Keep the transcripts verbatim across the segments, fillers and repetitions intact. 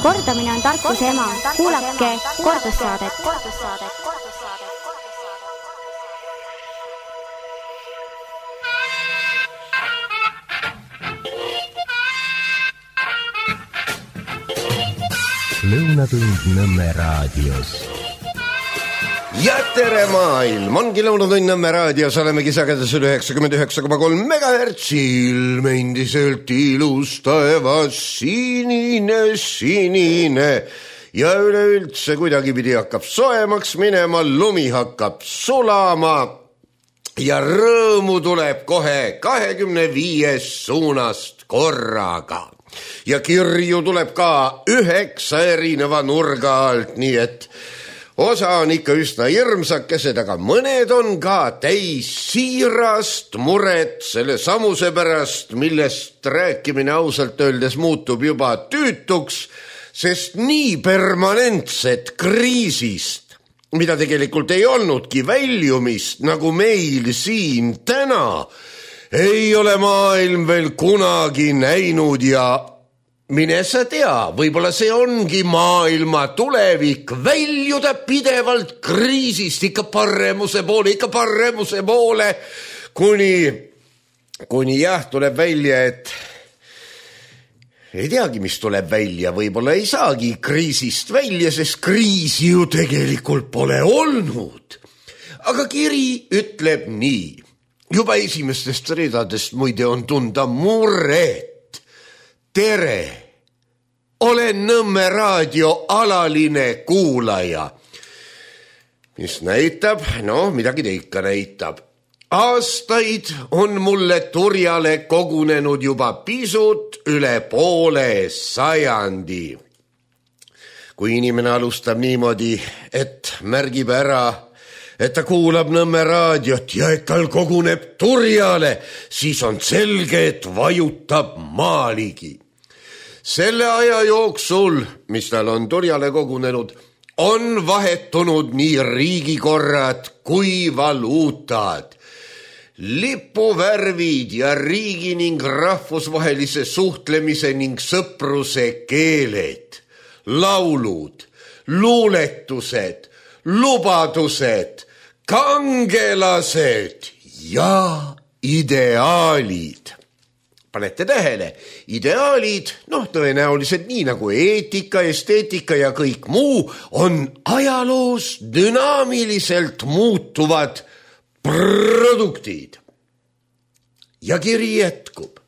Kordamine on tarkuse ema. Kuulake kordussaadet. Lõunatund Nõmme raadios. Ja tere maailm! Ongi Lõunatund Nõmme raadios, olemegi sagedus üle üheksakümmend üheksa koma kolm megahertsil. Me endiselt ilus taevas, sinine, sinine. Ja üleüldse kuidagipidi hakkab soemaks minema, lumi hakkab sulama. Ja rõõmu tuleb kohe kahekümne viies suunast korraga. Ja kirju tuleb ka üheksa erineva nurga alt, nii et osa on ikka üsna hirmsakesed, aga mõned on ka täis siirast muret selle samuse pärast, millest rääkimine ausalt öeldes muutub juba tüütuks, sest nii permanentset kriisist, mida tegelikult ei olnudki väljumist, nagu meil siin täna, ei ole maailm veel kunagi näinud ja mine sa tea, võib-olla see ongi maailma tulevik, väljuda pidevalt kriisist ikka paremuse poole, ikka paremuse poole, kuni, kuni jah, tuleb välja, et ei teagi, mis tuleb välja, võib-olla ei saagi kriisist välja, sest kriisi ju tegelikult pole olnud. Aga kiri ütleb nii. Juba esimestest ridadest muide on tunda muret. Tere, olen Nõmme raadio alaline kuulaja. Mis näitab? No, midagi ta ikka näitab. Aastaid on mulle turjale kogunenud juba pisut üle poole sajandi. Kui inimene alustab niimoodi, et märgib ära, et ta kuulab Nõmme raadiot ja et tal koguneb turjale, siis on selge, et vajutab maaligi. Selle aja jooksul, mis tal on turjale kogunenud, on vahetunud nii riigikorrad kui valuutad. Lipuvärvid ja riigi ning rahvusvahelise suhtlemise ning sõpruse keeled, laulud, luuletused, lubadused, kangelased ja ideaalid. Panete tähele, ideaalid, noh tõenäoliselt nii nagu eetika, esteetika ja kõik muu, on ajaloos dünaamiliselt muutuvad produktid. Ja kiri jätkub.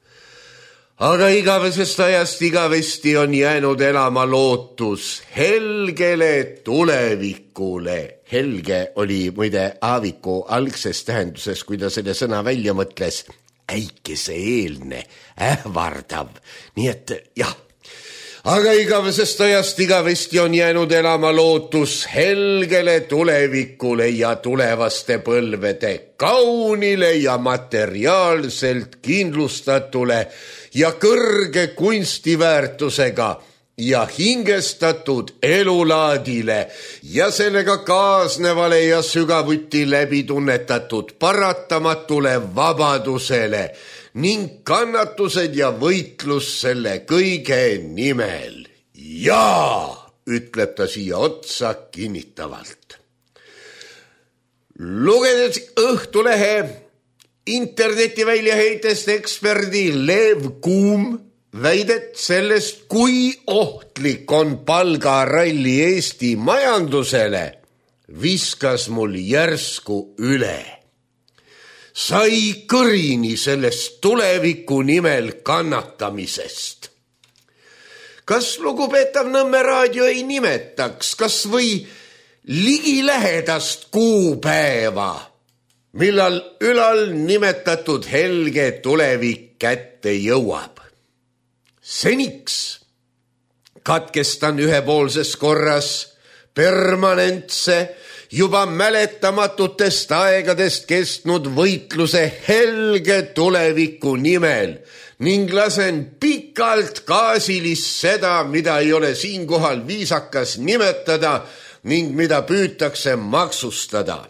Aga igavesest ajast igavesti on jäänud elama lootus helgele tulevikule. Helge oli muide Aaviku algses tähenduses, kui ta selle sõna välja mõtles, äikese eelne, ähvardav. Nii et jah, aga igavesest ajast igavesti on jäänud elama lootus helgele tulevikule ja tulevaste põlvede kaunile ja materiaalselt kindlustatule ja kõrge kunstiväärtusega ja hingestatud elulaadile ja sellega kaasnevale ja sügavuti läbi tunnetatud paratamatule vabadusele ning kannatused ja võitlus selle kõige nimel. Jaa, ütleb ta siia otsa kinnitavalt. Lugedes Õhtulehe interneti väljaheitest eksperdi Lev Kuum väidet sellest, kui ohtlik on palgaralli Eesti majandusele, viskas mul järsku üle. Sai kõrini sellest tuleviku nimel kannatamisest. Kas lugupeetav Nõmme raadio ei nimetaks, kas või ligilähedast kuupäeva, millal ülal nimetatud helge tulevik kätte jõuab? Seniks katkestan ühepoolses korras permanentse, juba mäletamatutest aegadest kestnud võitluse helge tuleviku nimel ning lasen pikalt gaasilist seda, mida ei ole siinkohal viisakas nimetada ning mida püütakse maksustada.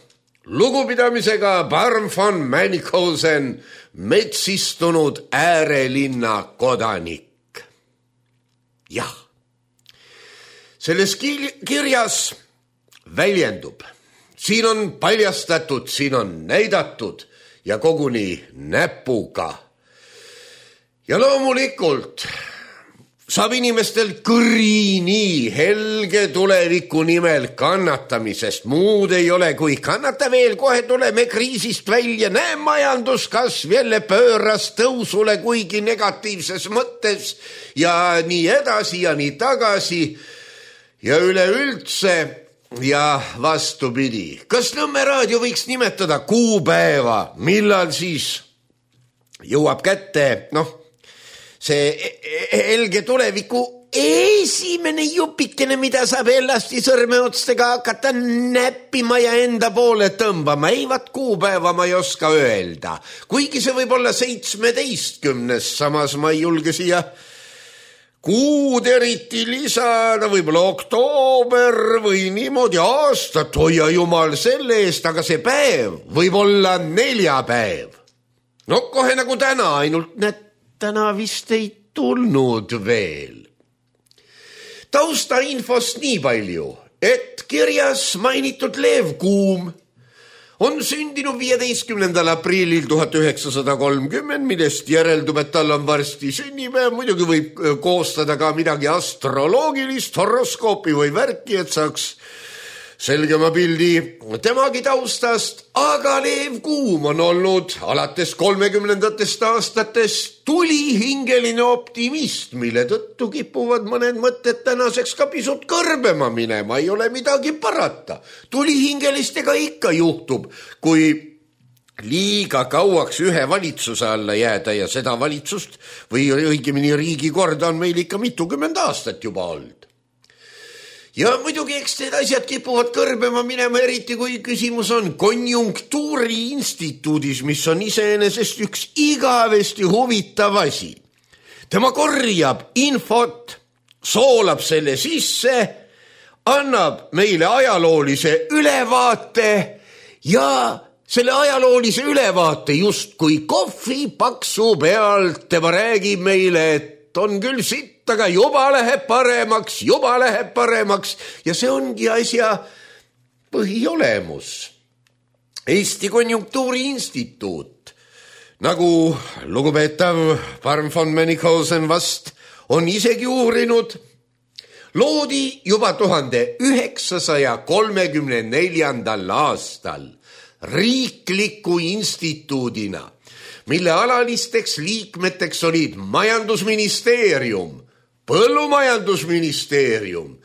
Lugupidamisega Barm von Mannikosen, metsistunud äärelinna kodanik. Jah, selles kirjas väljendub. Siin on paljastatud, siin on näidatud ja koguni näpuga. Ja loomulikult saab inimestel kõri nii helge tuleviku nimel kannatamisest. Muud ei ole, kui kannata veel, kohe tuleme kriisist välja. Näe, majanduskasv jälle pööras tõusule, kuigi negatiivses mõttes ja nii edasi ja nii tagasi ja üleüldse ja vastupidi. Kas Nõmme raadio võiks nimetada kuupäeva, millal siis jõuab kätte, noh, see helge tuleviku esimene jupikene, mida saab elasti sõrmeotstega hakata näppima ja enda poole tõmbama. Ei, vat kuupäeva ma ei oska öelda. Kuigi see võib olla seitsmeteistkümnes, samas ma ei julge siia kuud eriti lisada, võib-olla oktoober või niimoodi aastat, hoia jumal selle eest, aga see päev võib olla neljapäev. No kohe nagu täna, ainult näed, täna vist ei tulnud veel. Tausta infost nii palju, et kirjas mainitud Lev Kuum on sündinud viieteistkümnendal aprillil tuhat üheksasada kolmkümmend, millest järeldub, et tal on varsti sünnipäev. Muidugi võib koostada ka midagi astroloogilist, horoskoopi või värki, et saaks selgema pildi temagi taustast, aga Lev Kuum on olnud alates kolmekümnendatest aastatest tulihingeline optimist, mille tõttu kipuvad mõned mõtted tänaseks ka pisut kõrbema minema, ei ole midagi parata. Tulihingelistega ikka juhtub, kui liiga kauaks ühe valitsuse alla jääda ja seda valitsust või õigemini riigikorda on meil ikka mitukümmend aastat juba olnud. Ja muidugi eks need asjad kipuvad kõrbema minema, eriti kui küsimus on konjunktuuri instituudis, mis on iseenesest üks igavesti huvitav asi. Tema korjab infot, soolab selle sisse, annab meile ajaloolise ülevaate ja selle ajaloolise ülevaate just kui kohvi paksu pealt tema räägib meile, et on küll sitt, aga juba läheb paremaks, juba läheb paremaks ja see ongi asja põhiolemus. Eesti Konjunktuuri Instituut, nagu lugupeetav Parm von Menikosen vast on isegi uurinud, loodi juba tuhande üheksasaja kolmekümne neljandal aastal riikliku instituudina, mille alalisteks liikmeteks olid majandusministeerium, põllumajandusministeerium,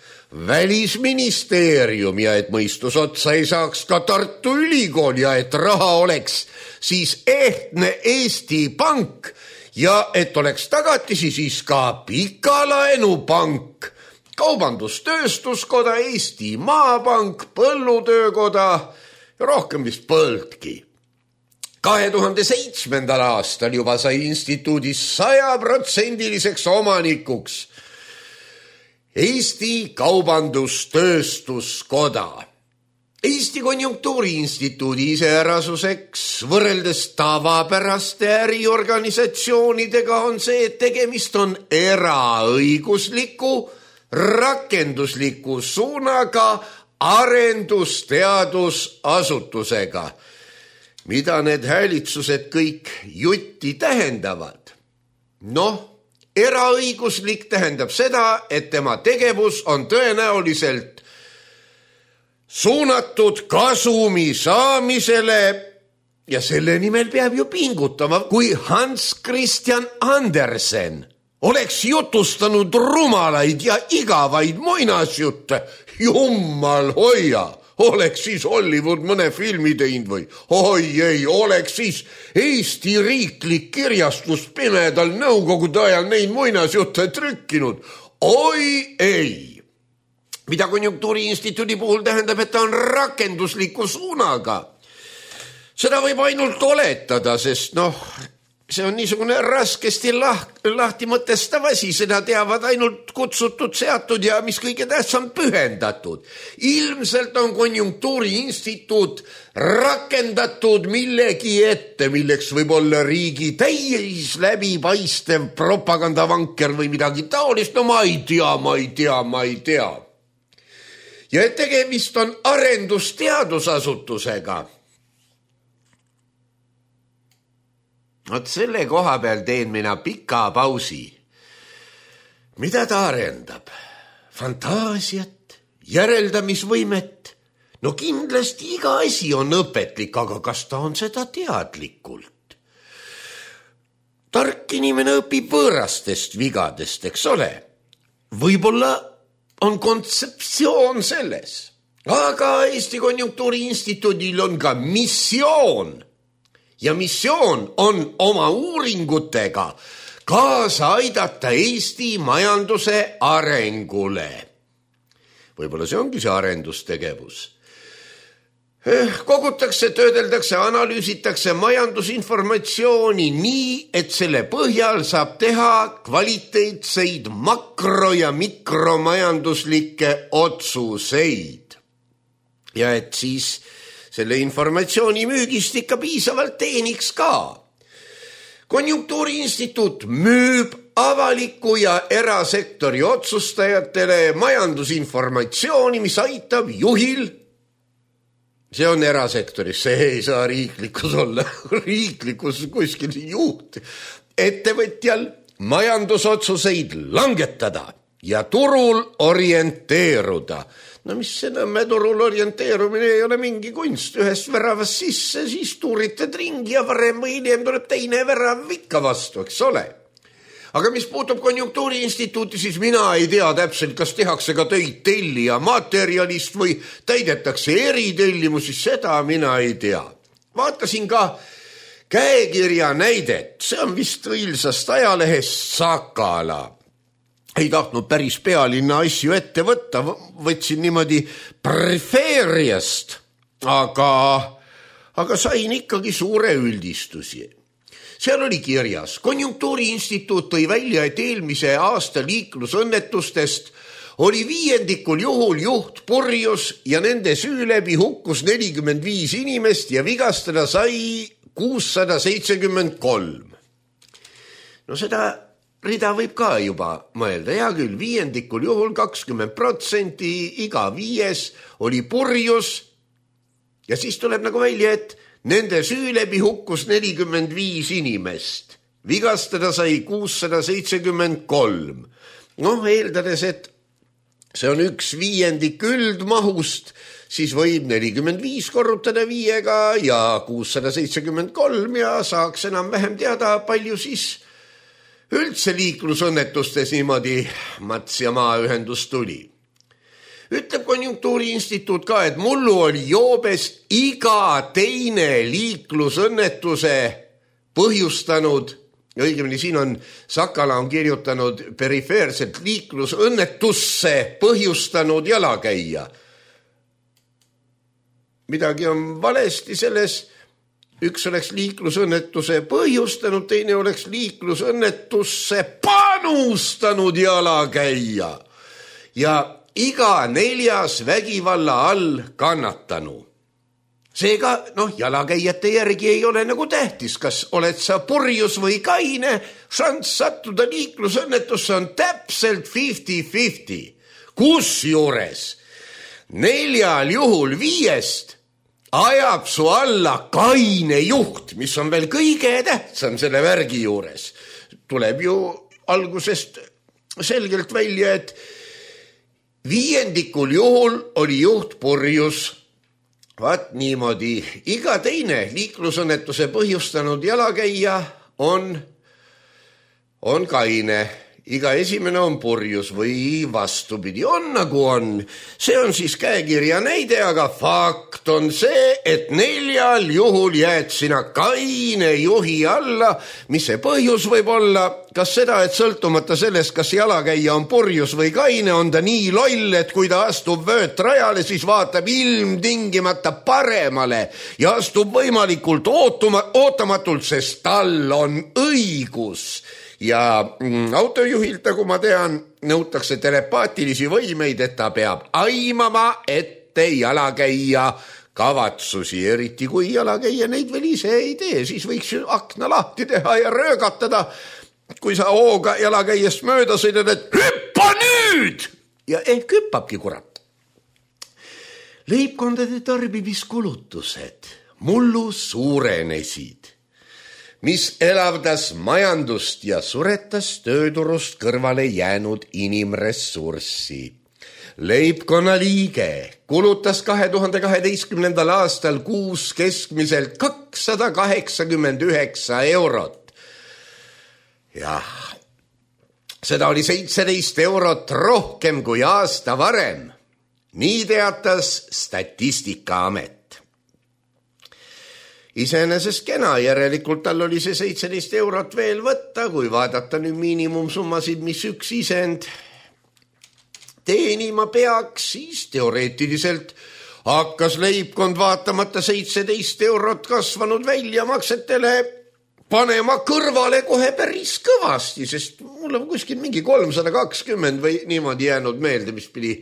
välisministeerium ja et mõistus otsa ei saaks ka Tartu Ülikool ja et raha oleks siis ehtne Eesti Pank ja et oleks tagatisi siis ka Pikalaenupank, Kaubandus-Tööstuskoda, Eesti Maapank, Põllutöökoda ja rohkem vist põldki. kahe tuhande seitsmendal aastal juba sai instituudis sajaprotsendiliseks omanikuks Eesti Kaubandus-Tööstuskoda. Eesti Konjunktuuri Instituudi iseärasuseks võrreldes tavapäraste äriorganisatsioonidega on see, et tegemist on eraõigusliku, rakendusliku suunaga arendusteadusasutusega. Mida need häälitsused kõik jutti tähendavad? Noh, eraõiguslik tähendab seda, et tema tegevus on tõenäoliselt suunatud kasumi saamisele ja selle nimel peab ju pingutama. Kui Hans Christian Andersen oleks jutustanud rumalaid ja igavaid muinasjutte, jummal hoia, oleks siis Hollywood mõne filmi teinud või? Oi ei, oleks siis Eesti riiklik kirjastus pimedal nõukogude ajal neid muinasjutte trükkinud. Oi ei! Mida Konjunktuuri Instituudi puhul tähendab, et ta on rakendusliku suunaga. Seda võib ainult oletada, sest noh, see on niisugune raskesti lahti mõtestav asi, seda teavad ainult kutsutud, seatud ja mis kõige tähtsam pühendatud. Ilmselt on Konjunktuuri Instituut rakendatud millegi ette, milleks võib olla riigi täis läbipaistev propagandavanker või midagi taolist. No ma ei tea, ma ei tea, ma ei tea. ja et tegemist on arendusteadusasutusega. Vot selle koha peal teen mina pika pausi. Mida ta arendab? Fantaasiat, järeldamisvõimet? No kindlasti iga asi on õpetlik, aga kas ta on seda teadlikult? Tark inimene õpib võõrastest vigadest, eks ole? Võib-olla on kontseptsioon selles, aga Eesti Konjunktuuri Instituudil on ka missioon. Ja missioon on oma uuringutega kaasa aidata Eesti majanduse arengule. Võib-olla see ongi see arendustegevus. Kogutakse, töödeldakse, analüüsitakse majandusinformatsiooni nii, et selle põhjal saab teha kvaliteetseid makro- ja mikromajanduslikke otsuseid. Ja et siis selle informatsiooni müügist ikka piisavalt teeniks ka. Konjunktuuri Instituut müüb avaliku ja erasektori otsustajatele majandusinformatsiooni, mis aitab juhil, see on erasektoris, see ei saa riiklikus olla, riiklikus kuskil juht, ettevõtjal majandusotsuseid langetada ja turul orienteeruda. No mis see Nõmme turul orienteerumine ei ole mingi kunst, ühest väravast sisse, siis tuuritad ringi ja varem või hiljem tuleb teine värav ikka vastu, eks ole. Aga mis puutub Konjunktuuri Instituuti, siis mina ei tea täpselt, kas tehakse ka töid tellija materjalist või täidetakse eritellimusi, seda mina ei tea. Vaatasin ka käekirja näidet, see on vist õilsast ajalehest Sakala. Ei tahtnud päris pealinna asju ette võtta, võtsin niimoodi perifeeriast, aga, aga sain ikkagi suure üldistusi. Seal oli kirjas, Konjunktuuri Instituut tõi välja, et eelmise aasta liiklusõnnetustest oli viiendikul juhul juht purjus ja nende süü läbi hukkus nelikümmend viis inimest ja vigastada sai kuussada seitsekümmend kolm. No seda rida võib ka juba mõelda, hea küll, viiendikul juhul kakskümmend protsenti, iga viies oli purjus ja siis tuleb nagu välja, et nende süü läbi hukkus nelikümmend viis inimest, vigastada sai kuussada seitsekümmend kolm. Noh, eeldades, et see on üks viiendik üldmahust, siis võib nelikümmend viis korrutada viiega ja kuussada seitsekümmend kolm ja saaks enam vähem teada, palju siis üldse liiklusõnnetustes niimoodi mats ja maaühendus tuli. Ütleb Konjunktuuri Instituut ka, et mullu oli joobes iga teine liiklusõnnetuse põhjustanud, õigemini siin on, Sakala on kirjutanud perifeerselt liiklusõnnetusse põhjustanud jalakäija. Midagi on valesti selles. Üks oleks liiklusõnnetuse põhjustanud, teine oleks liiklusõnnetusse panustanud jalakäija. Ja iga neljas vägivalla all kannatanu. Seega, noh, jalakäijate järgi ei ole nagu tähtis, kas oled sa purjus või kaine, šans sattuda liiklusõnnetusse on täpselt viiskümmend viiskümmend. Kusjuures neljal juhul viiest ajab su alla kaine juht, mis on veel kõige tähtsam selle värgi juures. Tuleb ju algusest selgelt välja, et viiendikul juhul oli juht purjus. Vaat niimoodi, iga teine liiklusõnnetuse põhjustanud jalakäija on, on kaine. Iga esimene on purjus või vastupidi, on nagu on. See on siis käekirja näide, aga fakt on see, et neljal juhul jääd sina kaine juhi alla. Mis see põhjus võib olla? Kas seda, et sõltumata sellest, kas jalakäija on purjus või kaine, on ta nii loll, et kui ta astub vöötrajale, siis vaatab ilmtingimata paremale ja astub võimalikult ootuma, ootamatult, sest tal on õigus. Ja autojuhilt, nagu ma tean, nõutakse telepaatilisi võimeid, et ta peab aimama ette jalakäija kavatsusi, eriti kui jalakäija neid veel ise ei tee, siis võiks ju akna lahti teha ja röögatada, kui sa hooga jalakäijast mööda sõidad, et hüppa nüüd! Ja ehk hüppabki, kurat. Leibkondade tarbimiskulutused mullu suurenesid, mis elavdas majandust ja suretas tööturust kõrvale jäänud inimressurssi. Leibkonna liige kulutas kahe tuhande kaheteistkümnendal aastal kuus keskmiselt kakssada kaheksakümmend üheksa eurot. Jah, seda oli seitseteist eurot rohkem kui aasta varem. Nii teatas Statistikaamet. Iseenesest kena, järelikult tal oli see seitseteist eurot veel võtta, kui vaadata nüüd miinimumsummasid, mis üks isend teenima peaks, siis teoreetiliselt hakkas leibkond vaatamata seitseteist eurot kasvanud väljamaksetele panema kõrvale kohe päris kõvasti, sest mul on kuskil mingi kolmsada kakskümmend või niimoodi jäänud meelde, mis pidi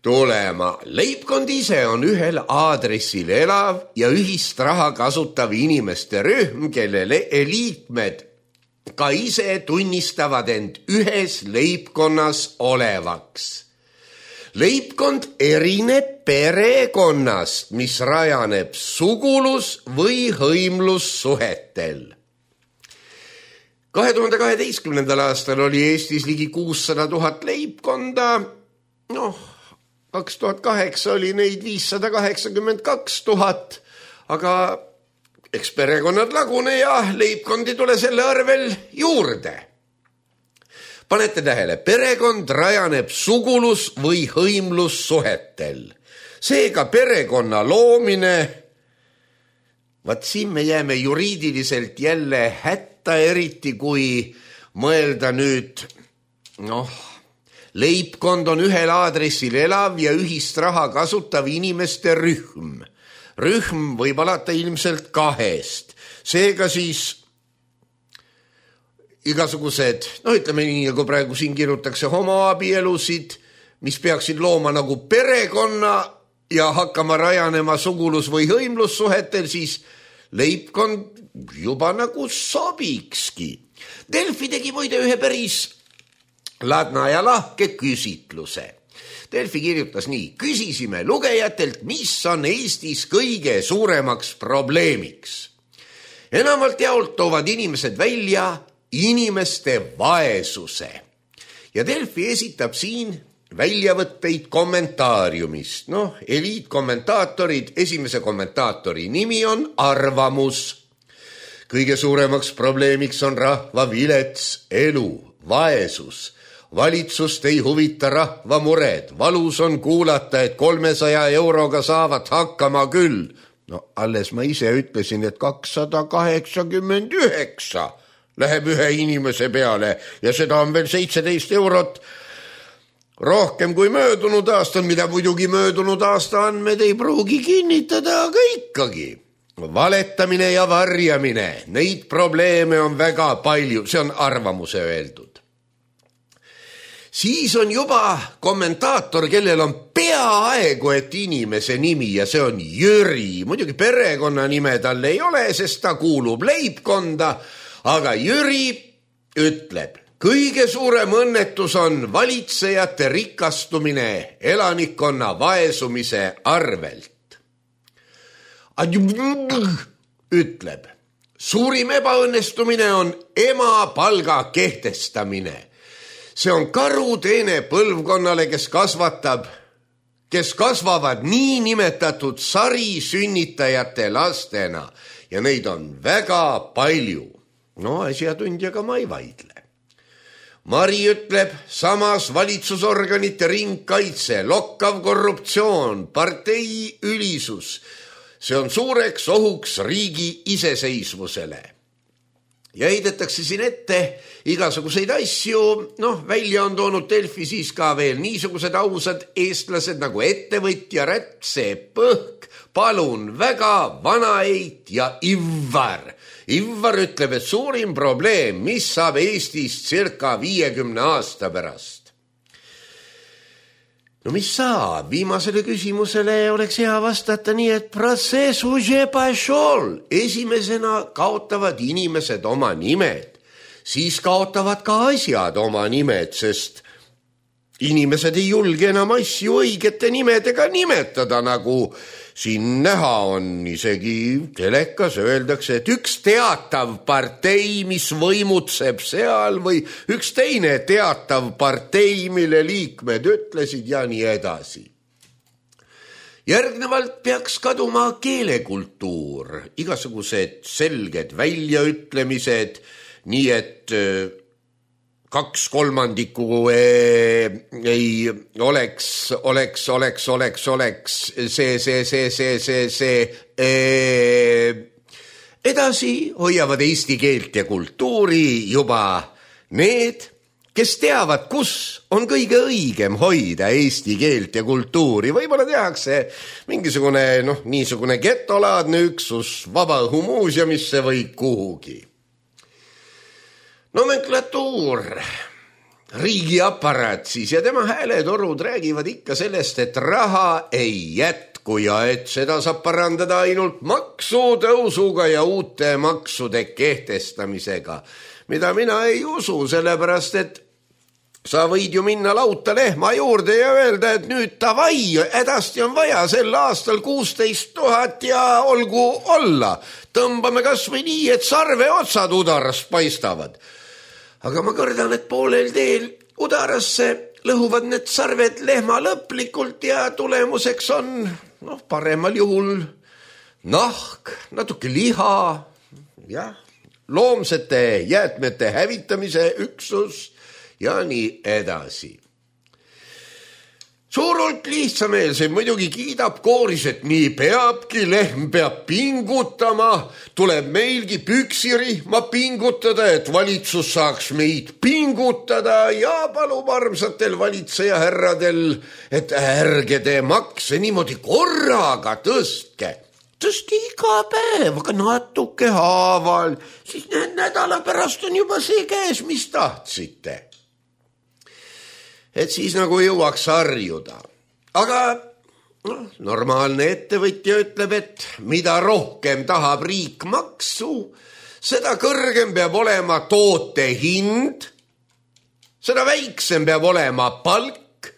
tulema. Leibkond ise on ühel aadressil elav ja ühist raha kasutav inimeste rühm, kelle liikmed ka ise tunnistavad end ühes leibkonnas olevaks. Leibkond erineb perekonnast, mis rajaneb sugulus- või hõimlussuhetel. kahe tuhande kaheteistkümnendal aastal oli Eestis ligi kuussada tuhat leibkonda, noh, kaks tuhat kaheksa oli neid viissada kaheksakümmend kaks tuhat, aga eks perekonnad lagune ja leibkondi tule selle arvel juurde. Panete tähele, perekond rajaneb sugulus- või hõimlussuhetel. Seega perekonna loomine, vaat siin me jääme juriidiliselt jälle hätta, eriti kui mõelda nüüd, noh, leibkond on ühel aadressil elav ja ühist raha kasutav inimeste rühm. Rühm võib alata ilmselt kahest. Seega siis igasugused, no ütleme nii, nagu praegu siin kirjutakse homoabielusid, mis peaksid looma nagu perekonna ja hakkama rajanema sugulus- või hõimlussuhetel, siis leibkond juba nagu sobikski. Delfi tegi muide ühe päris ladna ja lahke küsitluse. Delfi kirjutas nii: küsisime lugejatelt, mis on Eestis kõige suuremaks probleemiks. Enamalt jaolt toovad inimesed välja inimeste vaesuse. Ja Delfi esitab siin väljavõtteid kommentaariumist. Noh, eliitkommentaatorid, esimese kommentaatori nimi on Arvamus. Kõige suuremaks probleemiks on rahva vilets elu, vaesus. Valitsust ei huvita rahva mured. Valus on kuulata, et kolmesaja euroga saavad hakkama küll. No alles ma ise ütlesin, et kakssada kaheksakümmend üheksa läheb ühe inimese peale ja seda on veel seitseteist eurot rohkem kui möödunud aastal, mida muidugi möödunud aasta andmed ei pruugi kinnitada, aga ikkagi. Valetamine ja varjamine, neid probleeme on väga palju, see on Arvamuse öeldud. Siis on juba kommentaator, kellel on peaaegu et inimese nimi ja see on Jüri. Muidugi perekonna nime tal ei ole, sest ta kuulub leibkonda, aga Jüri ütleb, kõige suurem õnnetus on valitsejate rikastumine elanikkonna vaesumise arvelt. Ütleb, suurim ebaõnnestumine on ema palga kehtestamine. See on karuteene põlvkonnale, kes kasvatab, kes kasvavad nii nimetatud sarisünnitajate lastena ja neid on väga palju. No asjatundjaga ma ei vaidle. Mari ütleb, samas valitsusorganite ringkaitse, lokkav korruptsioon, partei ülisus. See on suureks ohuks riigi iseseisvusele. Ja heidetakse siin ette igasuguseid asju, noh, välja on toonud Delfi siis ka veel niisugused ausad eestlased nagu ettevõtja, Rätsepp, Põhk, Palun, Väga, Vanaeit ja Ivvar. Ivvar ütleb, et suurim probleem, mis saab Eestist circa viiekümne aasta pärast. No mis saab? Viimasele küsimusele oleks hea vastata nii, et protsess уже пошел. Esimesena kaotavad inimesed oma nimed, siis kaotavad ka asjad oma nimed, sest inimesed ei julge enam asju õigete nimedega nimetada, nagu siin näha on, isegi telekas öeldakse, et üks teatav partei, mis võimutseb seal, või üks teine teatav partei, mille liikmed ütlesid ja nii edasi. Järgnevalt peaks kaduma keelekultuur, igasugused selged väljaütlemised, nii et kaks kolmandikku ei oleks, oleks, oleks, oleks, oleks, see, see, see, see, see, see. Edasi hoiavad eesti keelt ja kultuuri juba need, kes teavad, kus on kõige õigem hoida eesti keelt ja kultuuri. Võib-olla tehakse mingisugune, noh, niisugune getolaadne üksus Vabaõhumuuseumisse või kuhugi. Nomenklatuur, riigiaparaat siis ja tema hääletorud räägivad ikka sellest, et raha ei jätku ja et seda saab parandada ainult maksutõusuga ja uute maksude kehtestamisega, mida mina ei usu, sellepärast et sa võid ju minna lauta lehma juurde ja öelda, et nüüd tavai, edasti on vaja sel aastal kuusteist tuhat ja olgu olla. Tõmbame kas või nii, et sarve otsad udarast paistavad. Aga ma kardan, et poolel teel udarasse lõhuvad need sarved lehma lõplikult ja tulemuseks on noh, paremal juhul nahk, natuke liha, jah, loomsete jäätmete hävitamise üksus ja nii edasi. Suurult lihtsameelseid muidugi kiidab kooris, et nii peabki, lehm peab pingutama, tuleb meilgi püksirihma pingutada, et valitsus saaks meid pingutada ja palub armsatel valitseja härradel, et ärge te makse niimoodi korraga tõstke. Tõsti iga päev, aga natuke haaval, siis nädala pärast on juba see käes, mis tahtsite. Et siis nagu jõuaks harjuda. Aga no, normaalne ettevõtja ütleb, et mida rohkem tahab riik maksu, seda kõrgem peab olema toote hind, seda väiksem peab olema palk,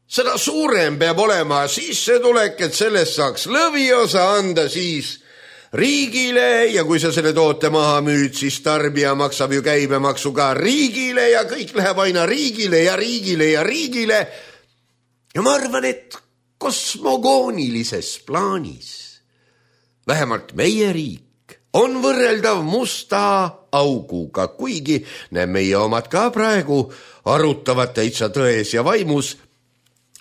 seda suurem peab olema sissetulek, et sellest saaks lõviosa anda siis riigile ja kui sa selle toote maha müüd, siis tarbija maksab ju käibemaksu ka riigile ja kõik läheb aina riigile ja riigile ja riigile. Ja ma arvan, et kosmogoonilises plaanis, vähemalt meie riik, on võrreldav musta auguga, kuigi näe meie omad ka praegu arutavad täitsa tões ja vaimus,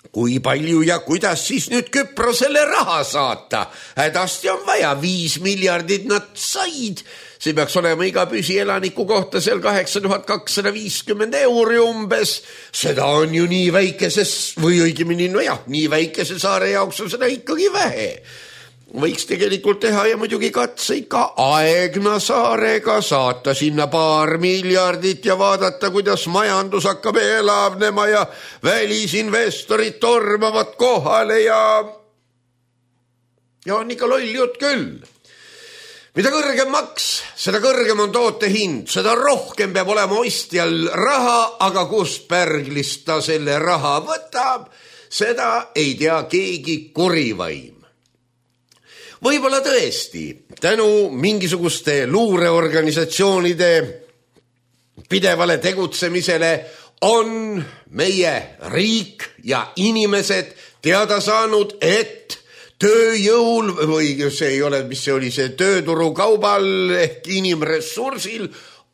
kui palju ja kuidas siis nüüd Küprosele raha saata? Hädasti on vaja, viis miljardit nad said. See peaks olema iga püsielaniku kohta seal kaheksa tuhat kakssada viiskümmend euri umbes. Seda on ju nii väikeses, või õigemini, no jah, nii väikese saare jaoks on seda ikkagi vähe. Võiks tegelikult teha ja muidugi katseid ka Aegna saarega, saata sinna paar miljardit ja vaadata, kuidas majandus hakkab elavnema ja välisinvestorid tormavad kohale ja ja on ikka loll jutt küll. Mida kõrgem maks, seda kõrgem on toote hind, seda rohkem peab olema ostjal raha, aga kust pärglist ta selle raha võtab, seda ei tea keegi kurivaim. Võib-olla tõesti, tänu mingisuguste luureorganisatsioonide pidevale tegutsemisele on meie riik ja inimesed teada saanud, et tööjõul või see ei ole, mis see oli, see tööturukaubal ehk inimressursil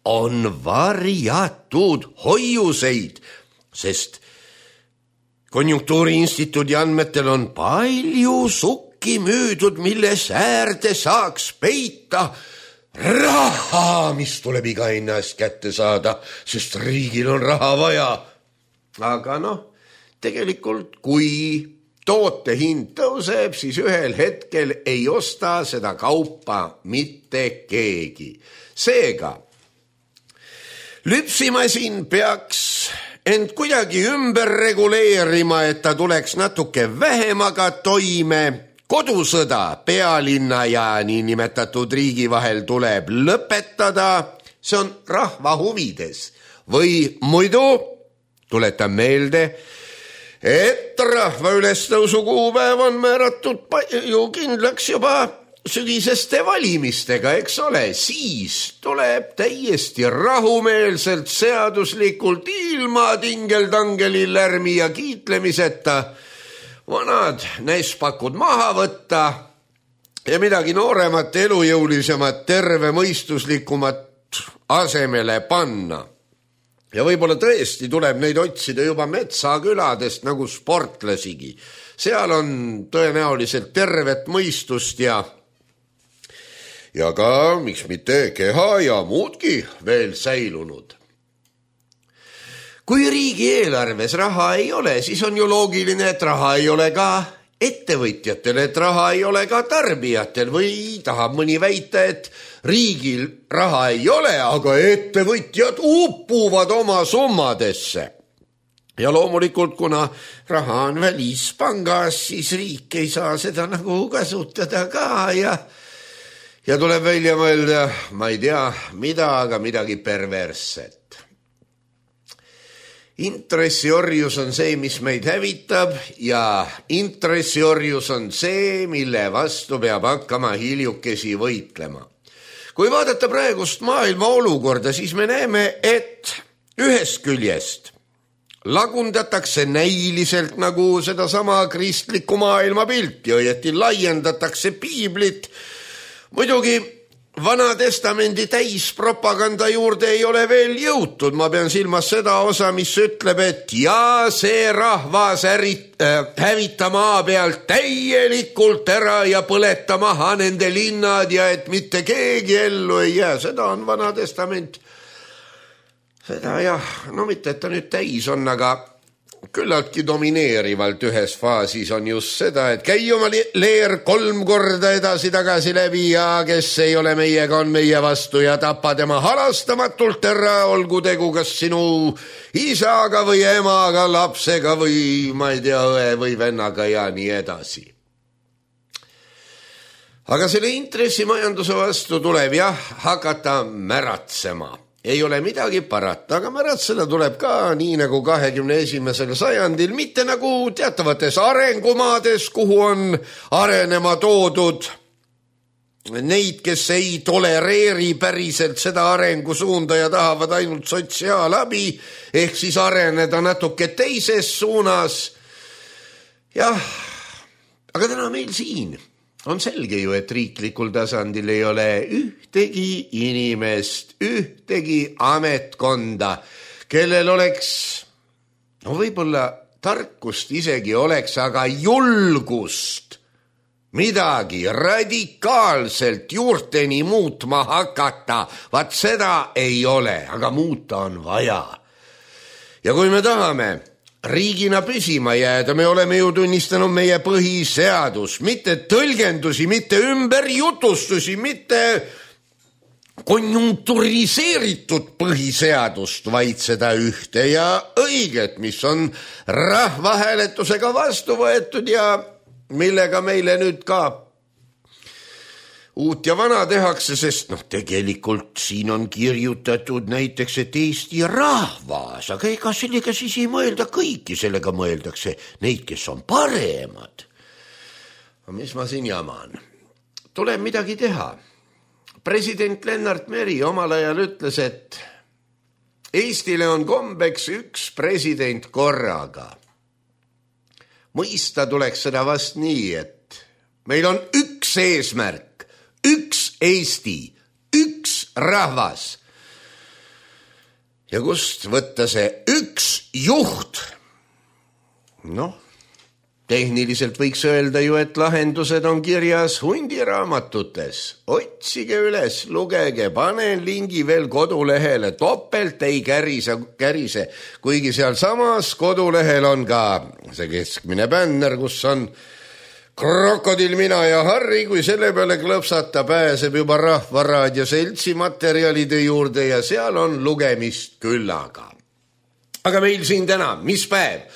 on varjatud hoiuseid, sest Konjunktuuriinstituudi andmetel on palju sukki müüdud, mille säärde saaks peita raha, mis tuleb iga hinna eest kätte saada, sest riigil on raha vaja. Aga noh, tegelikult kui toote hind tõuseb, siis ühel hetkel ei osta seda kaupa mitte keegi. Seega, lüpsimasin peaks ent kuidagi ümber reguleerima, et ta tuleks natuke vähemaga toime. Kodusõda pealinna ja niinimetatud riigi vahel tuleb lõpetada. See on rahva huvides. Või muidu, tuletan meelde, et rahva ülestõusu kuupäev on määratud ju kindlaks juba sügiseste valimistega, eks ole, siis tuleb täiesti rahumeelselt, seaduslikult, ilma tingeltangeli lärmi ja kiitlemiseta vanad näispakud maha võtta ja midagi nooremat, elujõulisemat, tervemõistuslikumat asemele panna. Ja võib-olla tõesti tuleb neid otsida juba metsaküladest nagu sportlasigi. Seal on tõenäoliselt tervet mõistust ja ja ka, miks mitte, keha ja muudki veel säilunud. Kui riigieelarves raha ei ole, siis on ju loogiline, et raha ei ole ka ettevõtjatel, et raha ei ole ka tarbijatel või tahab mõni väita, et riigil raha ei ole, aga ettevõtjad upuvad oma summadesse. Ja loomulikult, kuna raha on välispangas, siis riik ei saa seda nagu kasutada ka ja Ja tuleb välja mõelda, ma ei tea, mida, aga midagi perversset. Intressiorjus on see, mis meid hävitab ja intressiorjus on see, mille vastu peab hakkama hiljukesi võitlema. Kui vaadata praegust maailma olukorda, siis me näeme, et ühest küljest lagundatakse näiliselt nagu seda sama kristlikku maailma pilti, õieti laiendatakse piiblit. Muidugi Vana Testamendi täispropaganda juurde ei ole veel jõutud. Ma pean silmas seda osa, mis ütleb, et ja see rahvas ärit, äh, hävita maa pealt täielikult ära ja põleta maha nende linnad ja et mitte keegi ellu ei jää. Seda on Vana Testament. Seda jah, no mitte, et ta nüüd täis on, aga küllaltki domineerivalt ühes faasis on just seda, et käi oma leer kolm korda edasi-tagasi läbi ja kes ei ole meiega, on meie vastu ja tapa tema halastamatult ära, olgu tegu kas sinu isaga või emaga, lapsega või ma ei tea, õe või vennaga ja nii edasi. Aga selle intressimajanduse vastu tuleb jah hakata märatsema. Ei ole midagi parata, aga märatseda tuleb ka nii nagu kahekümne esimesel sajandil, mitte nagu teatavates arengumaades, kuhu on arenema toodud neid, kes ei tolereeri päriselt seda arengusuunda ja tahavad ainult sotsiaalabi, ehk siis areneda natuke teises suunas. Jah, aga täna meil siin on selge ju, et riiklikul tasandil ei ole ühtegi inimest, ühtegi ametkonda, kellel oleks, no võib-olla tarkust isegi oleks, aga julgust midagi radikaalselt juurteni muutma hakata. Vaat seda ei ole, aga muuta on vaja. Ja kui me tahame riigina püsima jääda, me oleme ju tunnistanud meie põhiseadus, mitte tõlgendusi, mitte ümberjutustusi, mitte konjunkturiseeritud põhiseadust, vaid seda ühte ja õiget, mis on rahvahääletusega vastu võetud ja millega meile nüüd ka uut ja vana tehakse, sest noh, tegelikult siin on kirjutatud näiteks, et Eesti rahvas, aga ega sellega siis ei mõelda kõiki, sellega mõeldakse neid, kes on paremad. Mis ma siin jaman? Tuleb midagi teha. President Lennart Meri omal ajal ütles, et Eestile on kombeks üks president korraga. Mõista tuleks seda vast nii, et meil on üks eesmärk, üks Eesti, üks rahvas. Ja kust võtta see üks juht? Noh, tehniliselt võiks öelda ju, et lahendused on kirjas hundiraamatutes. Otsige üles, lugege, panen lingi veel kodulehele, topelt ei kärise, kärise. Kuigi seal samas kodulehel on ka see keskmine bänner, kus on Krokodil, mina ja Harri, kui selle peale klõpsata, pääseb juba Rahvaraadio seltsi materjalide juurde ja seal on lugemist küllaga. Aga meil siin täna, mis päev?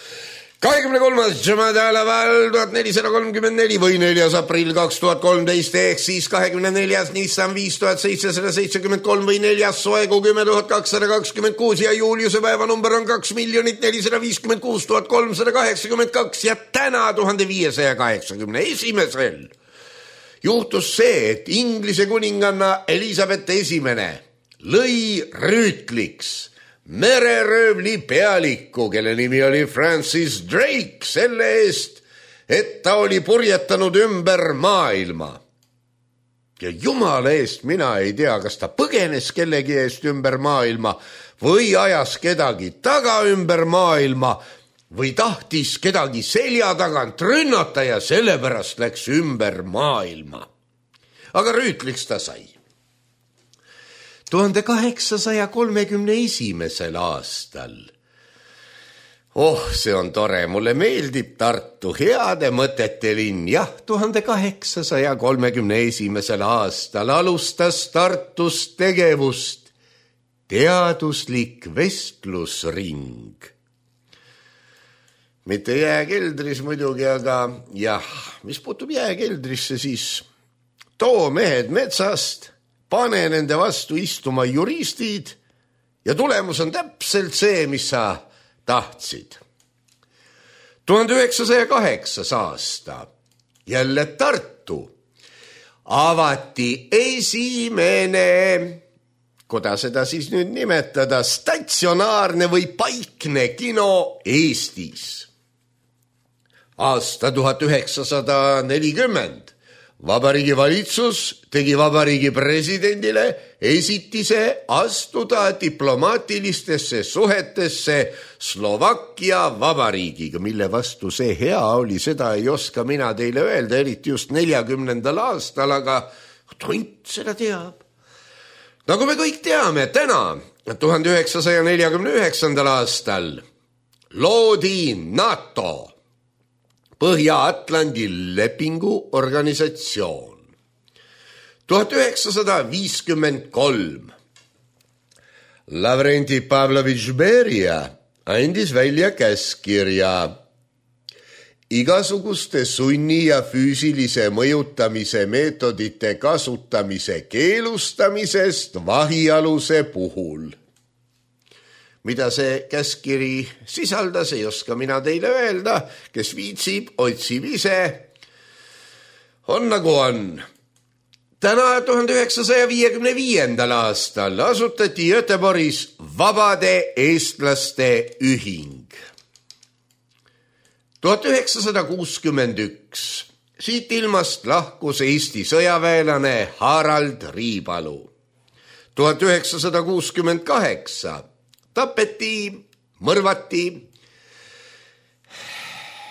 kahekümne kolmas Jumadaalaval tuhat nelisada kolmkümmend neli või neljas aprill kaks tuhat kolmteist ehk siis kahekümne neljas Nissan viis tuhat seitsesada seitsekümmend kolm või neljas Soegu kümme tuhat kakssada kakskümmend kuus ja Juliuse päevanumber on kaks miljonit nelisada viiskümmend kuus tuhat kolmsada kaheksakümmend kaks ja täna tuhande viiesaja kaheksakümne esimesel juhtus see, et Inglise kuninganna Elizabeth esimene lõi rüütliks mereröövli pealiku, kelle nimi oli Francis Drake, selle eest, et ta oli purjetanud ümber maailma. Ja jumala eest mina ei tea, kas ta põgenes kellegi eest ümber maailma või ajas kedagi taga ümber maailma või tahtis kedagi selja tagant rünnata ja sellepärast läks ümber maailma. Aga rüütliks ta sai. tuhande kaheksasaja kolmekümne esimesel aastal. Oh, see on tore, mulle meeldib Tartu, heade mõtete linn. Jah, tuhande kaheksasaja kolmekümne esimesel aastal alustas Tartus tegevust teaduslik vestlusring. Mitte jääkeldris muidugi, aga jah, mis puutub jääkeldrisse, siis too mehed metsast, pane nende vastu istuma juristid ja tulemus on täpselt see, mis sa tahtsid. tuhande üheksasaja kaheksas aasta, jälle Tartu, avati esimene, kuidas seda siis nüüd nimetada, statsionaarne või paikne kino Eestis. Aasta tuhat üheksasada nelikümmend. Vabariigi valitsus tegi vabariigi presidendile esitise astuda diplomaatilistesse suhetesse Slovakkia vabariigiga, mille vastu see hea oli, seda ei oska mina teile öelda, eriti just neljakümnendal aastal, aga tont seda teab. Nagu me kõik teame, täna, tuhande üheksasaja neljakümne üheksandal aastal loodi NATO, Põhja-Atlandi lepingu organisatsioon. tuhat üheksasada viiskümmend kolm. Lavrenti Pavlovitš Beria andis välja käskkirja igasuguste sunni ja füüsilise mõjutamise meetodite kasutamise keelustamisest vahialuse puhul. Mida see käskkiri sisaldas, ei oska mina teile öelda, kes viitsib, otsib ise. On nagu on. Täna tuhande üheksasaja viiekümne viiendal aastal asutati Göteborgis Vabade eestlaste ühing. tuhat üheksasada kuuskümmend üks. Siit ilmast lahkus Eesti sõjaväelane Harald Riipalu. tuhat üheksasada kuuskümmend kaheksa. Tapeti, mõrvati,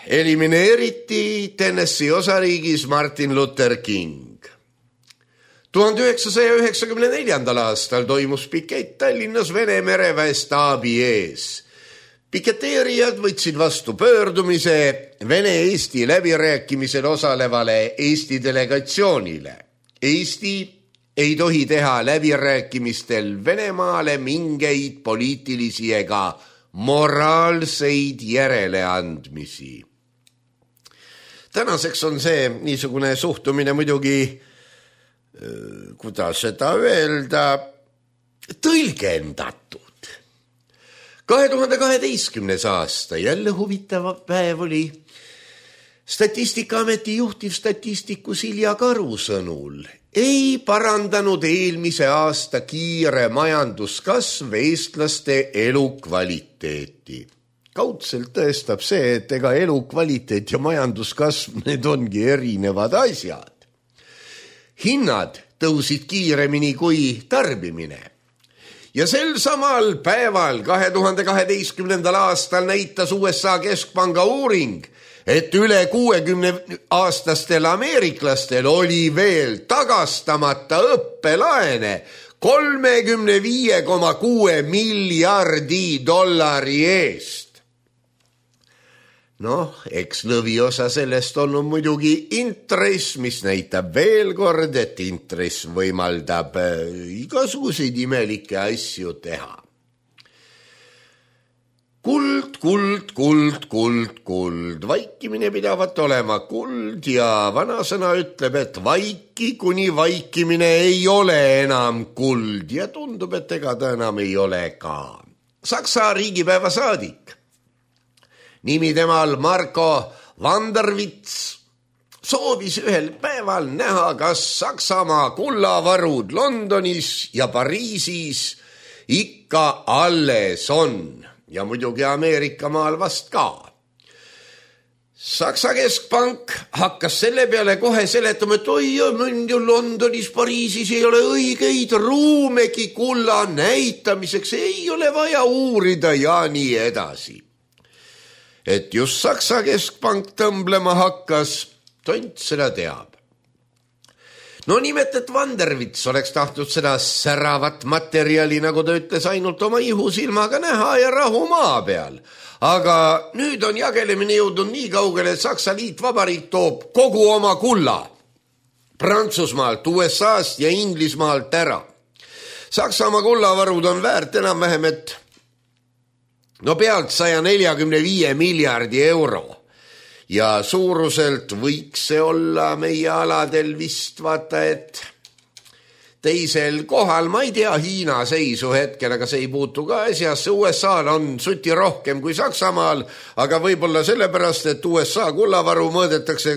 elimineeriti Tennessee osariigis Martin Luther King. tuhande üheksasaja üheksakümne neljandal aastal toimus pikett Tallinnas Vene mereväe staabi ees. Piketeerijad võtsid vastu pöördumise Vene-Eesti läbirääkimisel osalevale Eesti delegatsioonile. Eesti ei tohi teha läbirääkimistel Venemaale mingeid poliitilisi ega moraalseid järeleandmisi. Tänaseks on see niisugune suhtumine muidugi, kuidas seda öelda, tõlgendatud. kahe tuhande kaheteistkümnes aasta, jälle huvitav päev oli. Statistikaameti juhtiv statistiku Silja Karu sõnul ei parandanud eelmise aasta kiire majanduskasv eestlaste elukvaliteeti. Kaudselt tõestab see, et ega elukvaliteet ja majanduskasv, need ongi erinevad asjad. Hinnad tõusid kiiremini kui tarbimine. Ja sel samal päeval kahe tuhande kaheteistkümnendal aastal näitas U S A keskpanga uuring, et üle kuuekümne aastastel ameeriklastel oli veel tagastamata õppelaene kolmekümne viie koma kuue miljardi dollari eest. Noh, eks lõviosa sellest on muidugi intress, mis näitab veel kord, et intress võimaldab igasuguseid imelikke asju teha. Kuld kuld, kuld, kuld, kuld, kuld, vaikimine pidavat olema kuld ja vanasõna ütleb, et vaiki, kuni vaikimine ei ole enam kuld ja tundub, et ega ta enam ei ole ka. Saksa riigipäeva saadik, nimi temal Marko Vandervits, soovis ühel päeval näha, kas Saksamaa kullavarud Londonis ja Pariisis ikka alles on ja muidugi Ameerika maal vast ka. Saksa keskpank hakkas selle peale kohe seletama, et oi, ju Londonis, Pariisis ei ole õigeid ruumegi kulla näitamiseks, ei ole vaja uurida ja nii edasi. Et just Saksa keskpank tõmblema hakkas, tont seda teab. No nimelt, et Vandervits oleks tahtnud seda säravat materjali, nagu ta ütles, ainult oma ihusilmaga näha ja rahu maa peal. Aga nüüd on jagelemine jõudnud nii kaugele, et Saksa Liitvabariik toob kogu oma kulla Prantsusmaalt, U S A-st ja Inglismaalt ära. Saksamaa kullavarud on väärt enam-vähem, et no pealt saja neljakümne viie miljardi euro. Ja suuruselt võiks see olla meie aladel vist vaata, et teisel kohal, ma ei tea Hiina seisu hetkel, aga see ei puutu ka asjasse. U S A-l on suti rohkem kui Saksamaal, aga võib-olla sellepärast, et U S A kullavaru mõõdetakse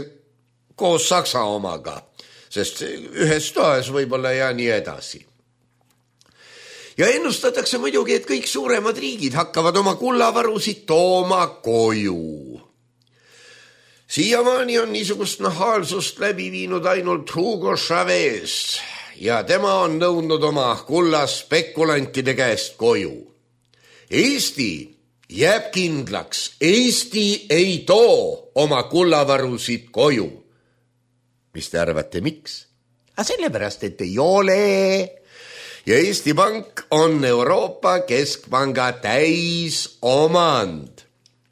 koos Saksa omaga, sest ühes toas võib-olla ja nii edasi. Ja ennustatakse muidugi, et kõik suuremad riigid hakkavad oma kullavarusid tooma koju. Siiamaani on niisugust nahaalsust läbi viinud ainult Hugo Chavez ja tema on nõudnud oma kulla spekulantide käest koju. Eesti jääb kindlaks, Eesti ei too oma kullavarusid koju. Mis te arvate, miks? A sellepärast, et ei ole. Ja Eesti Pank on Euroopa Keskpanga täis omand.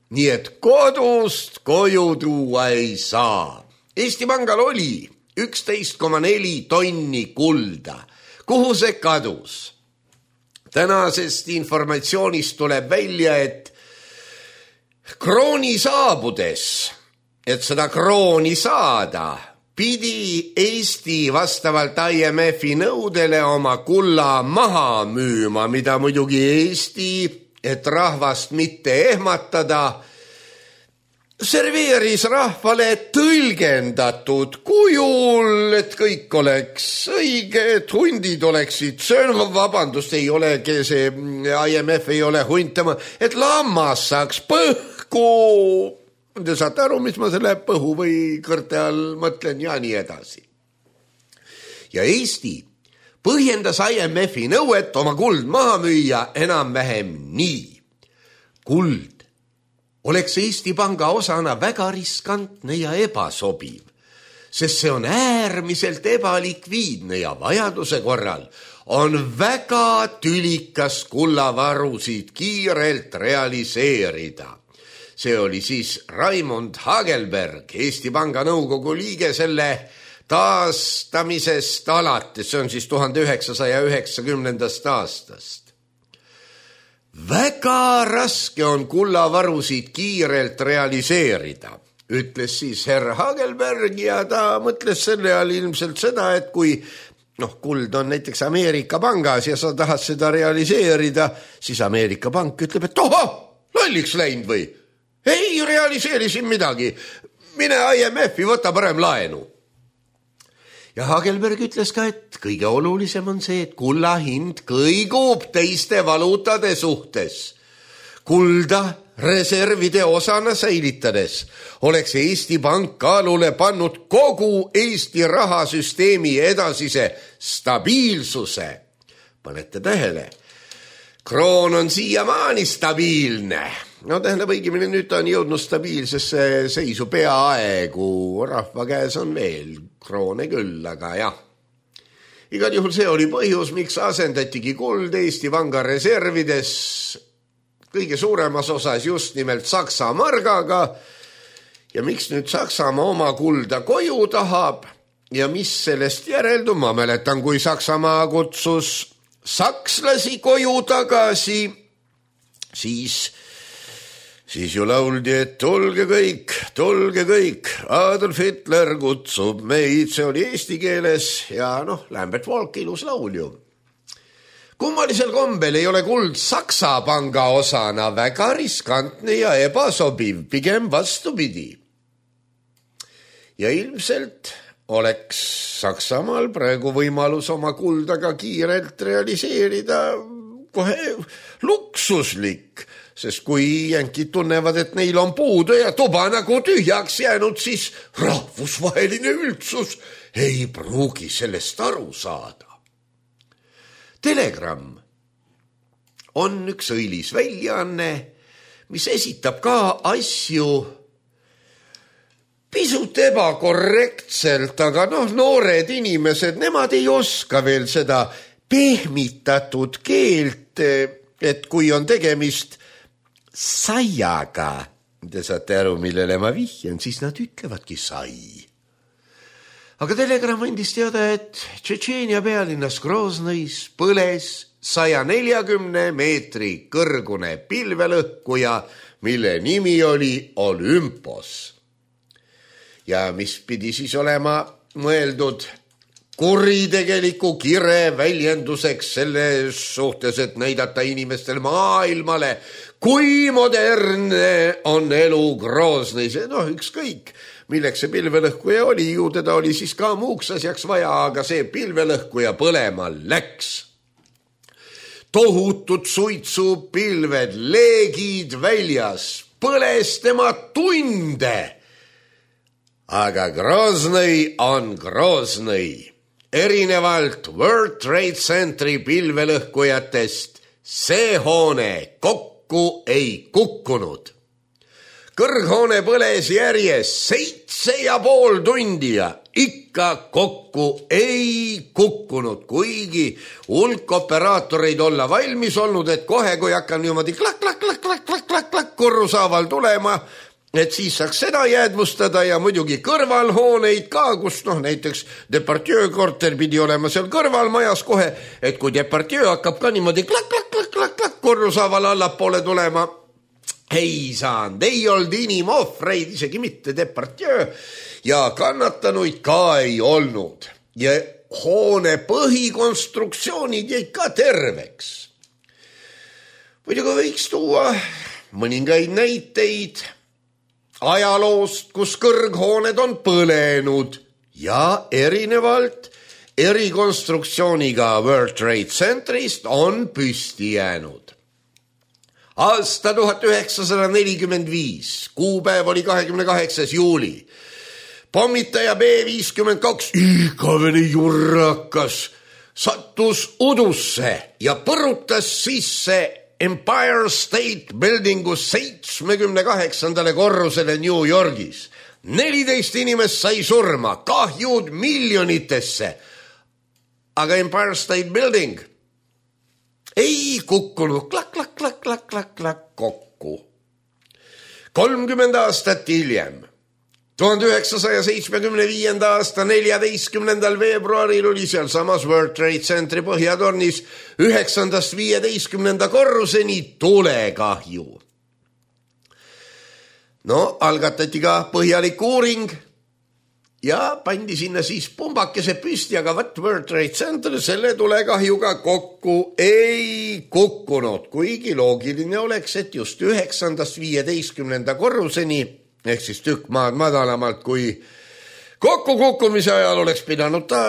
Nii et kodust koju tuua ei saa. Eesti Pangal oli üksteist koma neli tonni kulda. Kuhu see kadus? Tänasest informatsioonist tuleb välja, et krooni saabudes, et seda krooni saada, pidi Eesti vastavalt I M F-i nõudele oma kulla maha müüma, mida muidugi Eesti, et rahvast mitte ehmatada, serveeris rahvale tõlgendatud kujul, et kõik oleks õige, et hundid oleksid söönud, vabandust, ei olegi see I M F ei ole huntama, et lammas saaks põhku. Te saate aru, mis ma selle põhu või kõrte all mõtlen ja nii edasi. Ja Eesti põhjendas I M F-i nõuet oma kuld maha müüa enam-vähem nii. Kuld oleks Eesti Panga osana väga riskantne ja ebasobiv, sest see on äärmiselt ebalikviidne ja vajaduse korral on väga tülikas kullavarusid kiirelt realiseerida. See oli siis Raimond Hagelberg, Eesti Panga nõukogu liige selle taastamisest alates, see on siis tuhande üheksasaja üheksakümnendast aastast. Väga raske on kullavarusid kiirelt realiseerida, ütles siis herr Hagelberg ja ta mõtles selle all ilmselt seda, et kui noh, kuld on näiteks Ameerika Pangas ja sa tahad seda realiseerida, siis Ameerika Pank ütleb, et oho, lolliks läinud või? Ei realiseeri siin midagi, mine I M F-i, võta parem laenu. Ja Hagelberg ütles ka, et kõige olulisem on see, et kulla hind kõigub teiste valuutade suhtes. Kulda reservide osana säilitades oleks Eesti Pank kaalule pannud kogu Eesti rahasüsteemi edasise stabiilsuse. Panete tähele, kroon on siiamaani stabiilne. No tähendab õigemini, nüüd ta on jõudnud stabiilsesse seisu peaaegu, rahva käes on veel kroone küll, aga jah. Igal juhul see oli põhjus, miks asendatigi kuld Eesti Panga reservides kõige suuremas osas just nimelt Saksa margaga ja miks nüüd Saksamaa oma kulda koju tahab ja mis sellest järeldub, ma mäletan, kui Saksamaa kutsus sakslasi koju tagasi, siis siis ju lauldi, et tulge kõik, tulge kõik, Adolf Hitler kutsub meid, see oli eesti keeles ja noh, Lambert Walk, ilus laul ju. Kummalisel kombel ei ole kuld Saksa panga osana väga riskantne ja ebasobiv, pigem vastupidi. Ja ilmselt oleks Saksamaal praegu võimalus oma kuldaga kiirelt realiseerida kohe luksuslik, sest kui jänkid tunnevad, et neil on puudu ja tuba nagu tühjaks jäänud, siis rahvusvaheline üldsus ei pruugi sellest aru saada. Telegram on üks õilis väljaanne, mis esitab ka asju pisut ebakorrektselt, aga noh, noored inimesed, nemad ei oska veel seda pehmitatud keelt, et kui on tegemist saiaga, te saate aru, millele ma vihjan, siis nad ütlevadki sai. Aga Telegram andis teada, et Tšetšeenia pealinnas Groznõis põles saja neljakümne meetri kõrgune pilvelõhkuja, mille nimi oli Olümpos. Ja mis pidi siis olema mõeldud kuritegeliku kire väljenduseks selles suhtes, et näidata inimestel maailmale, kui modernne on elu Groznõis. Noh, ükskõik, milleks see pilvelõhkuja oli, ju teda oli siis ka muuks asjaks vaja, aga see pilvelõhkuja põlema läks. Tohutud suitsupilved, leegid väljas, põles tema tunde. Aga Groznõi on Groznõi. Erinevalt World Trade Centeri pilvelõhkujatest see hoone kokku ei kukkunud. Kõrghoone põles järjest seitse ja pool tundi ja ikka kokku ei kukkunud, kuigi hulk operaatoreid olla valmis olnud, et kohe, kui hakkan niimoodi klak, klak, klak, klak, klak, klak, klak, korrusaaval tulema, et siis saaks seda jäädvustada ja muidugi kõrvalhooneid ka, kus noh, näiteks Depardieu korter pidi olema seal kõrvalmajas kohe, et kui Depardieu hakkab ka niimoodi klak, klak, klak, klak, klak, korrusaaval allapoole tulema, ei saanud, ei olnud inimohvreid, isegi mitte Depardieu ja kannatanuid ka ei olnud ja hoone põhikonstruktsioonid jäid ka terveks. Muidugi võiks tuua mõningaid näiteid ajaloost, kus kõrghooned on põlenud ja erinevalt erikonstruktsiooniga World Trade Centerist on püsti jäänud. Aasta tuhat üheksasada nelikümmend viis, kuupäev oli kahekümne kaheksas juuli. Pommitaja B viiskümmend kaks, igavene jurrakas, sattus udusse ja põrutas sisse Empire State Buildingu seitsmekümne kaheksandale korrusele New Yorgis. neliteist inimest sai surma, kahjud miljonitesse. Aga Empire State Building ei kukkunud klak, klak, klak, klak, klak, klak kokku. kolmkümmend aastat hiljem, tuhande üheksasaja seitsmekümne viienda aasta neljateistkümnendal veebruaril oli seal samas World Trade Centeri põhjatornis üheksandast viieteistkümnenda korruseni tulekahju. No, algatati ka põhjalik uuring ja pandi sinna siis pumbakese püsti, aga võt World Trade Center selle tulekahjuga kokku ei kukkunud, kuigi loogiline oleks, et just üheksandast viieteistkümnenda korruseni ehk siis tükk maad madalamalt kui kokkukukkumise ajal oleks pidanud ta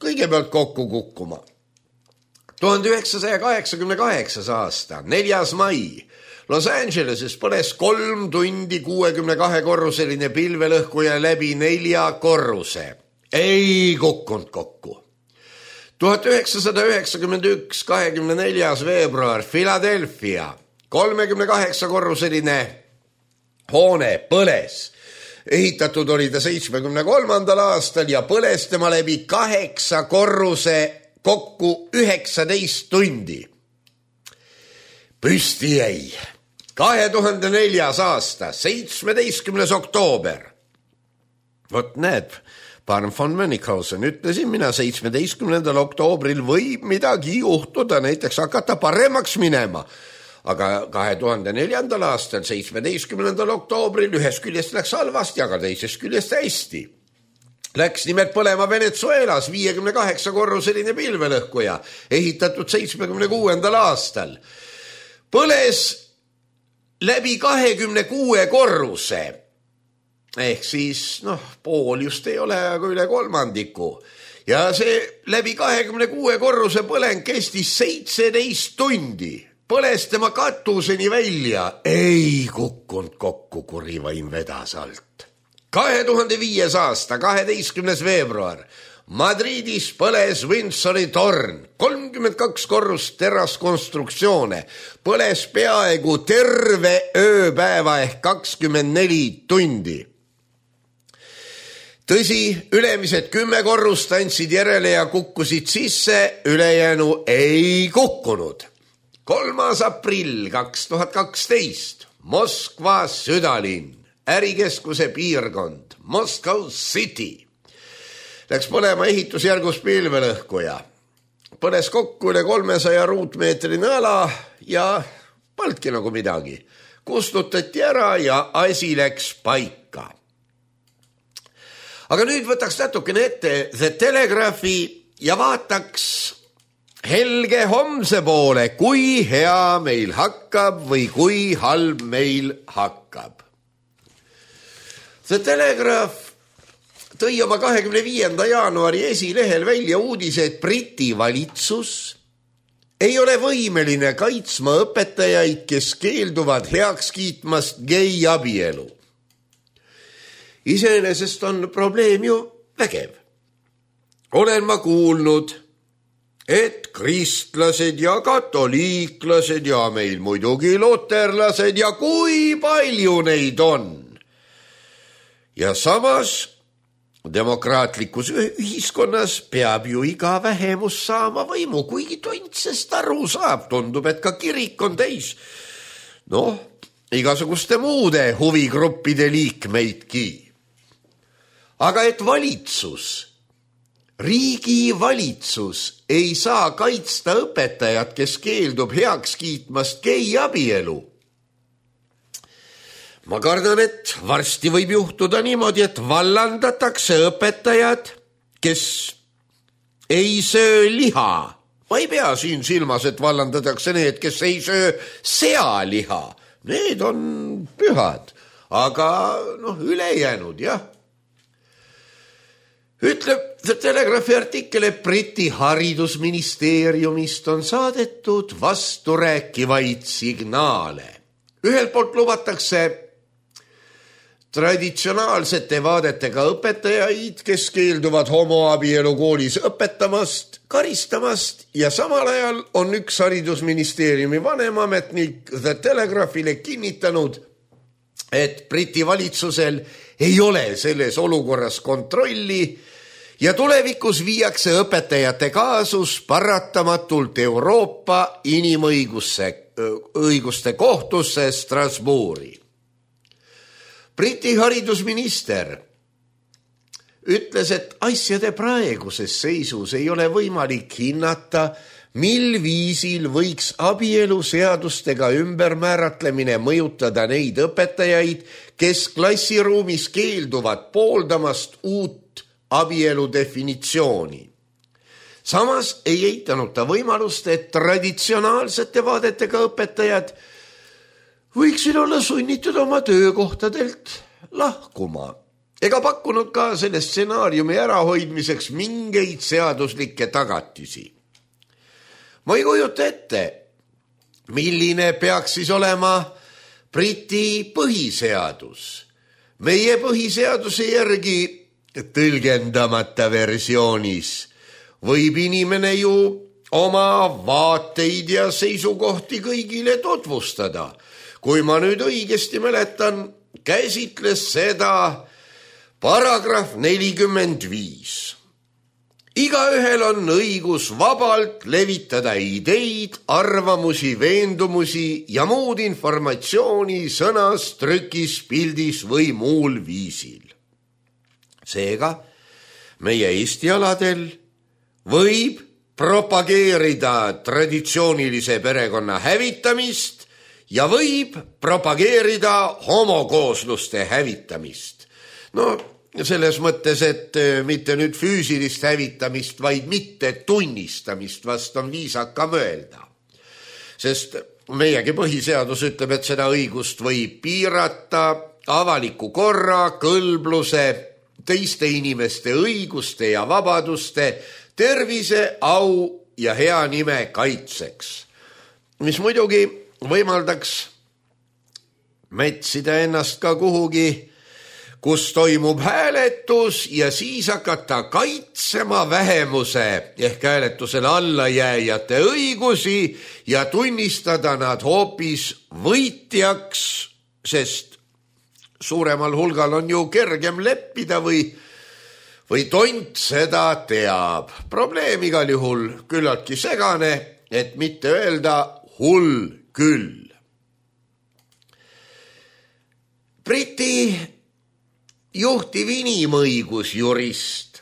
kõigepealt kokku kukkuma. tuhande üheksasaja kaheksakümne kaheksas aasta, neljas mai, Los Angeleses põles kolm tundi kuuekümne kahe korruseline pilvelõhkuja läbi nelja korruse. Ei kukkunud kokku. tuhat üheksasada üheksakümmend üks, kahekümne neljas veebruar, Philadelphia, kolmekümne kaheksa korruseline hoone põles. Ehitatud oli ta seitsmekümne kolmandal aastal ja põles tema läbi kaheksa korruse kokku üheksateist tundi. Püsti jäi kahe tuhande neljas aasta, seitsmeteistkümnes oktoober. Vot näed, Barn von Mönchhausen, ütlesin mina seitsmeteistkümnendal oktoobril võib midagi juhtuda, näiteks hakata paremaks minema. aga kahe tuhande neljandal aastal seitsmeteistkümnendal oktoobril ühest küljest läks halvasti, aga teisest küljest hästi. Läks nimelt põlema Venezuelas viiekümne kaheksa korruseline pilvelõhkuja, ehitatud seitsmekümne kuuendal aastal. Põles läbi kahekümne kuue korruse, ehk siis noh, pool just ei ole, aga üle kolmandiku. Ja see läbi kahekümne kuue korruse põleng kestis seitseteist tundi. Põles tema katuseni välja, ei kukkunud kokku, kuri vaim vedas alt. kahe tuhande viies aasta, kaheteistkümnes veebruar, Madridis põles Windsori torn, kolmkümmend kaks korrust teraskonstruktsioone, põles peaaegu terve ööpäeva ehk kakskümmend neli tundi. Tõsi, ülemised kümme korrust andsid järele ja kukkusid sisse, ülejäänu ei kukkunud. kolmas aprill kaks tuhat kaksteist, Moskva südalinn, ärikeskuse piirkond, Moscow City. Läks põlema ehitusjärgus pilvelõhkuja. Põles kokku üle kolmesaja ruutmeetrine ala ja polnudki nagu midagi. Kustutati ära ja asi läks paika. Aga nüüd võtaks natukene ette The Telegraphi ja vaataks helge homse poole, kui hea meil hakkab või kui halb meil hakkab. The Telegraph tõi oma kahekümne viienda jaanuari esilehel välja uudise, et Briti valitsus ei ole võimeline kaitsma õpetajaid, kes keelduvad heaks kiitmast geiabielu. Iseenesest on probleem ju vägev. Olen ma kuulnud, et kristlased ja katoliiklased ja meil muidugi luterlased ja kui palju neid on. Ja samas demokraatlikus ühiskonnas peab ju iga vähemus saama võimu, kuigi tontsest aru saab, tundub, et ka kirik on täis. Noh, igasuguste muude huvigruppide liikmeidki. Aga et valitsus, riigi valitsus ei saa kaitsta õpetajat, kes keeldub heaks kiitmast geiabielu. Ma kardan, et varsti võib juhtuda niimoodi, et vallandatakse õpetajad, kes ei söö liha. Ma ei pea siin silmas, et vallandatakse need, kes ei söö sealiha. Need on pühad, aga noh, ülejäänud, jah. Ütleb The Telegraphi artikkel, et Briti haridusministeeriumist on saadetud vasturääkivaid signaale. Ühelt poolt lubatakse traditsionaalsete vaadetega õpetajaid, kes keelduvad homoabielu koolis õpetamast, karistamast ja samal ajal on üks haridusministeeriumi vanemametnik The Telegraphile kinnitanud, et Briti valitsusel ei ole selles olukorras kontrolli ja tulevikus viiakse õpetajate kaasus paratamatult Euroopa inimõiguste õiguste kohtusse Strasbourgi. Briti haridusminister ütles, et asjade praeguses seisus ei ole võimalik hinnata, mil viisil võiks abielu seadustega ümbermääratlemine mõjutada neid õpetajaid, kes klassiruumis keelduvad pooldamast uut abielu definitsiooni. Samas ei eitanud ta võimalust, et traditsionaalsete vaadetega õpetajad võiksid olla sunnitud oma töökohtadelt lahkuma ega pakkunud ka selle stsenaariumi ärahoidmiseks mingeid seaduslikke tagatisi. Ma ei kujuta ette, milline peaks siis olema Briti põhiseadus. Meie põhiseaduse järgi tõlgendamata versioonis võib inimene ju oma vaateid ja seisukohti kõigile tutvustada. Kui ma nüüd õigesti mäletan, käsitles seda paragrahv nelikümmend viis. Igaühel on õigus vabalt levitada ideid, arvamusi, veendumusi ja muud informatsiooni sõnas, trükis, pildis või muul viisil. Seega, meie Eesti aladel võib propageerida traditsioonilise perekonna hävitamist ja võib propageerida homokoosluste hävitamist. No selles mõttes, et mitte nüüd füüsilist hävitamist, vaid mitte tunnistamist, vast on viisaka mõelda. Sest meiegi põhiseadus ütleb, et seda õigust võib piirata avaliku korra, kõlbluse, teiste inimeste õiguste ja vabaduste, tervise, au ja hea nime kaitseks, mis muidugi võimaldaks mätsida ennast ka kuhugi, kus toimub hääletus ja siis hakata kaitsema vähemuse ehk hääletusele allajääjate õigusi ja tunnistada nad hoopis võitjaks, sest suuremal hulgal on ju kergem leppida või, või tont seda teab. Probleem igal juhul küllaltki segane, et mitte öelda hull küll. Briti juhtiv inimõigusjurist,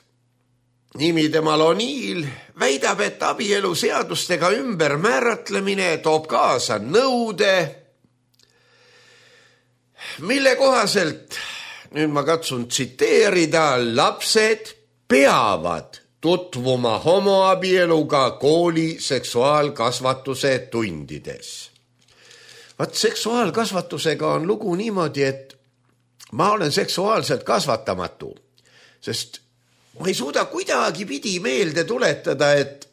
nimi temal O'Neill, väidab, et abielu seadustega ümbermääratlemine toob kaasa nõude, mille kohaselt, nüüd ma katsun tsiteerida, lapsed peavad tutvuma homoabieluga kooli seksuaalkasvatuse tundides. Vaat seksuaalkasvatusega on lugu niimoodi, et ma olen seksuaalselt kasvatamatu, sest ma ei suuda kuidagi pidi meelde tuletada, et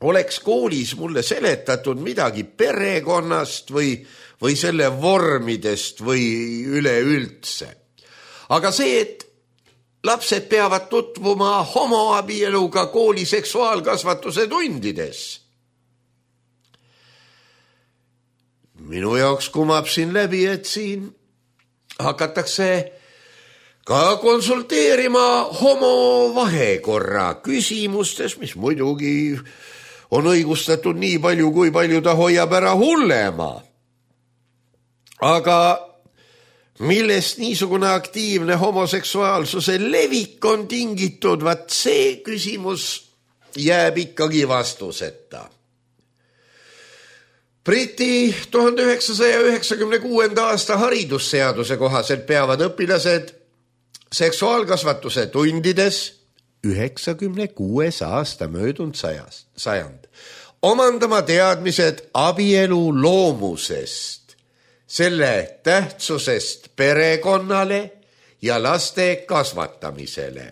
oleks koolis mulle seletatud midagi perekonnast või, või selle vormidest või üleüldse. Aga see, et lapsed peavad tutvuma homoabieluga kooli seksuaalkasvatuse tundides, minu jaoks kumab siin läbi, et siin hakatakse ka konsulteerima homo vahekorra küsimustes, mis muidugi on õigustatud nii palju, kui palju ta hoiab ära hullema. Aga millest niisugune aktiivne homoseksuaalsuse levik on tingitud, vaat see küsimus jääb ikkagi vastuseta. Briti tuhande üheksasaja üheksakümne kuuenda aasta haridusseaduse kohaselt peavad õpilased seksuaalkasvatuse tundides üheksakümne kuues aasta möödunud sajast, sajand omandama teadmised abielu loomusest, selle tähtsusest perekonnale ja laste kasvatamisele.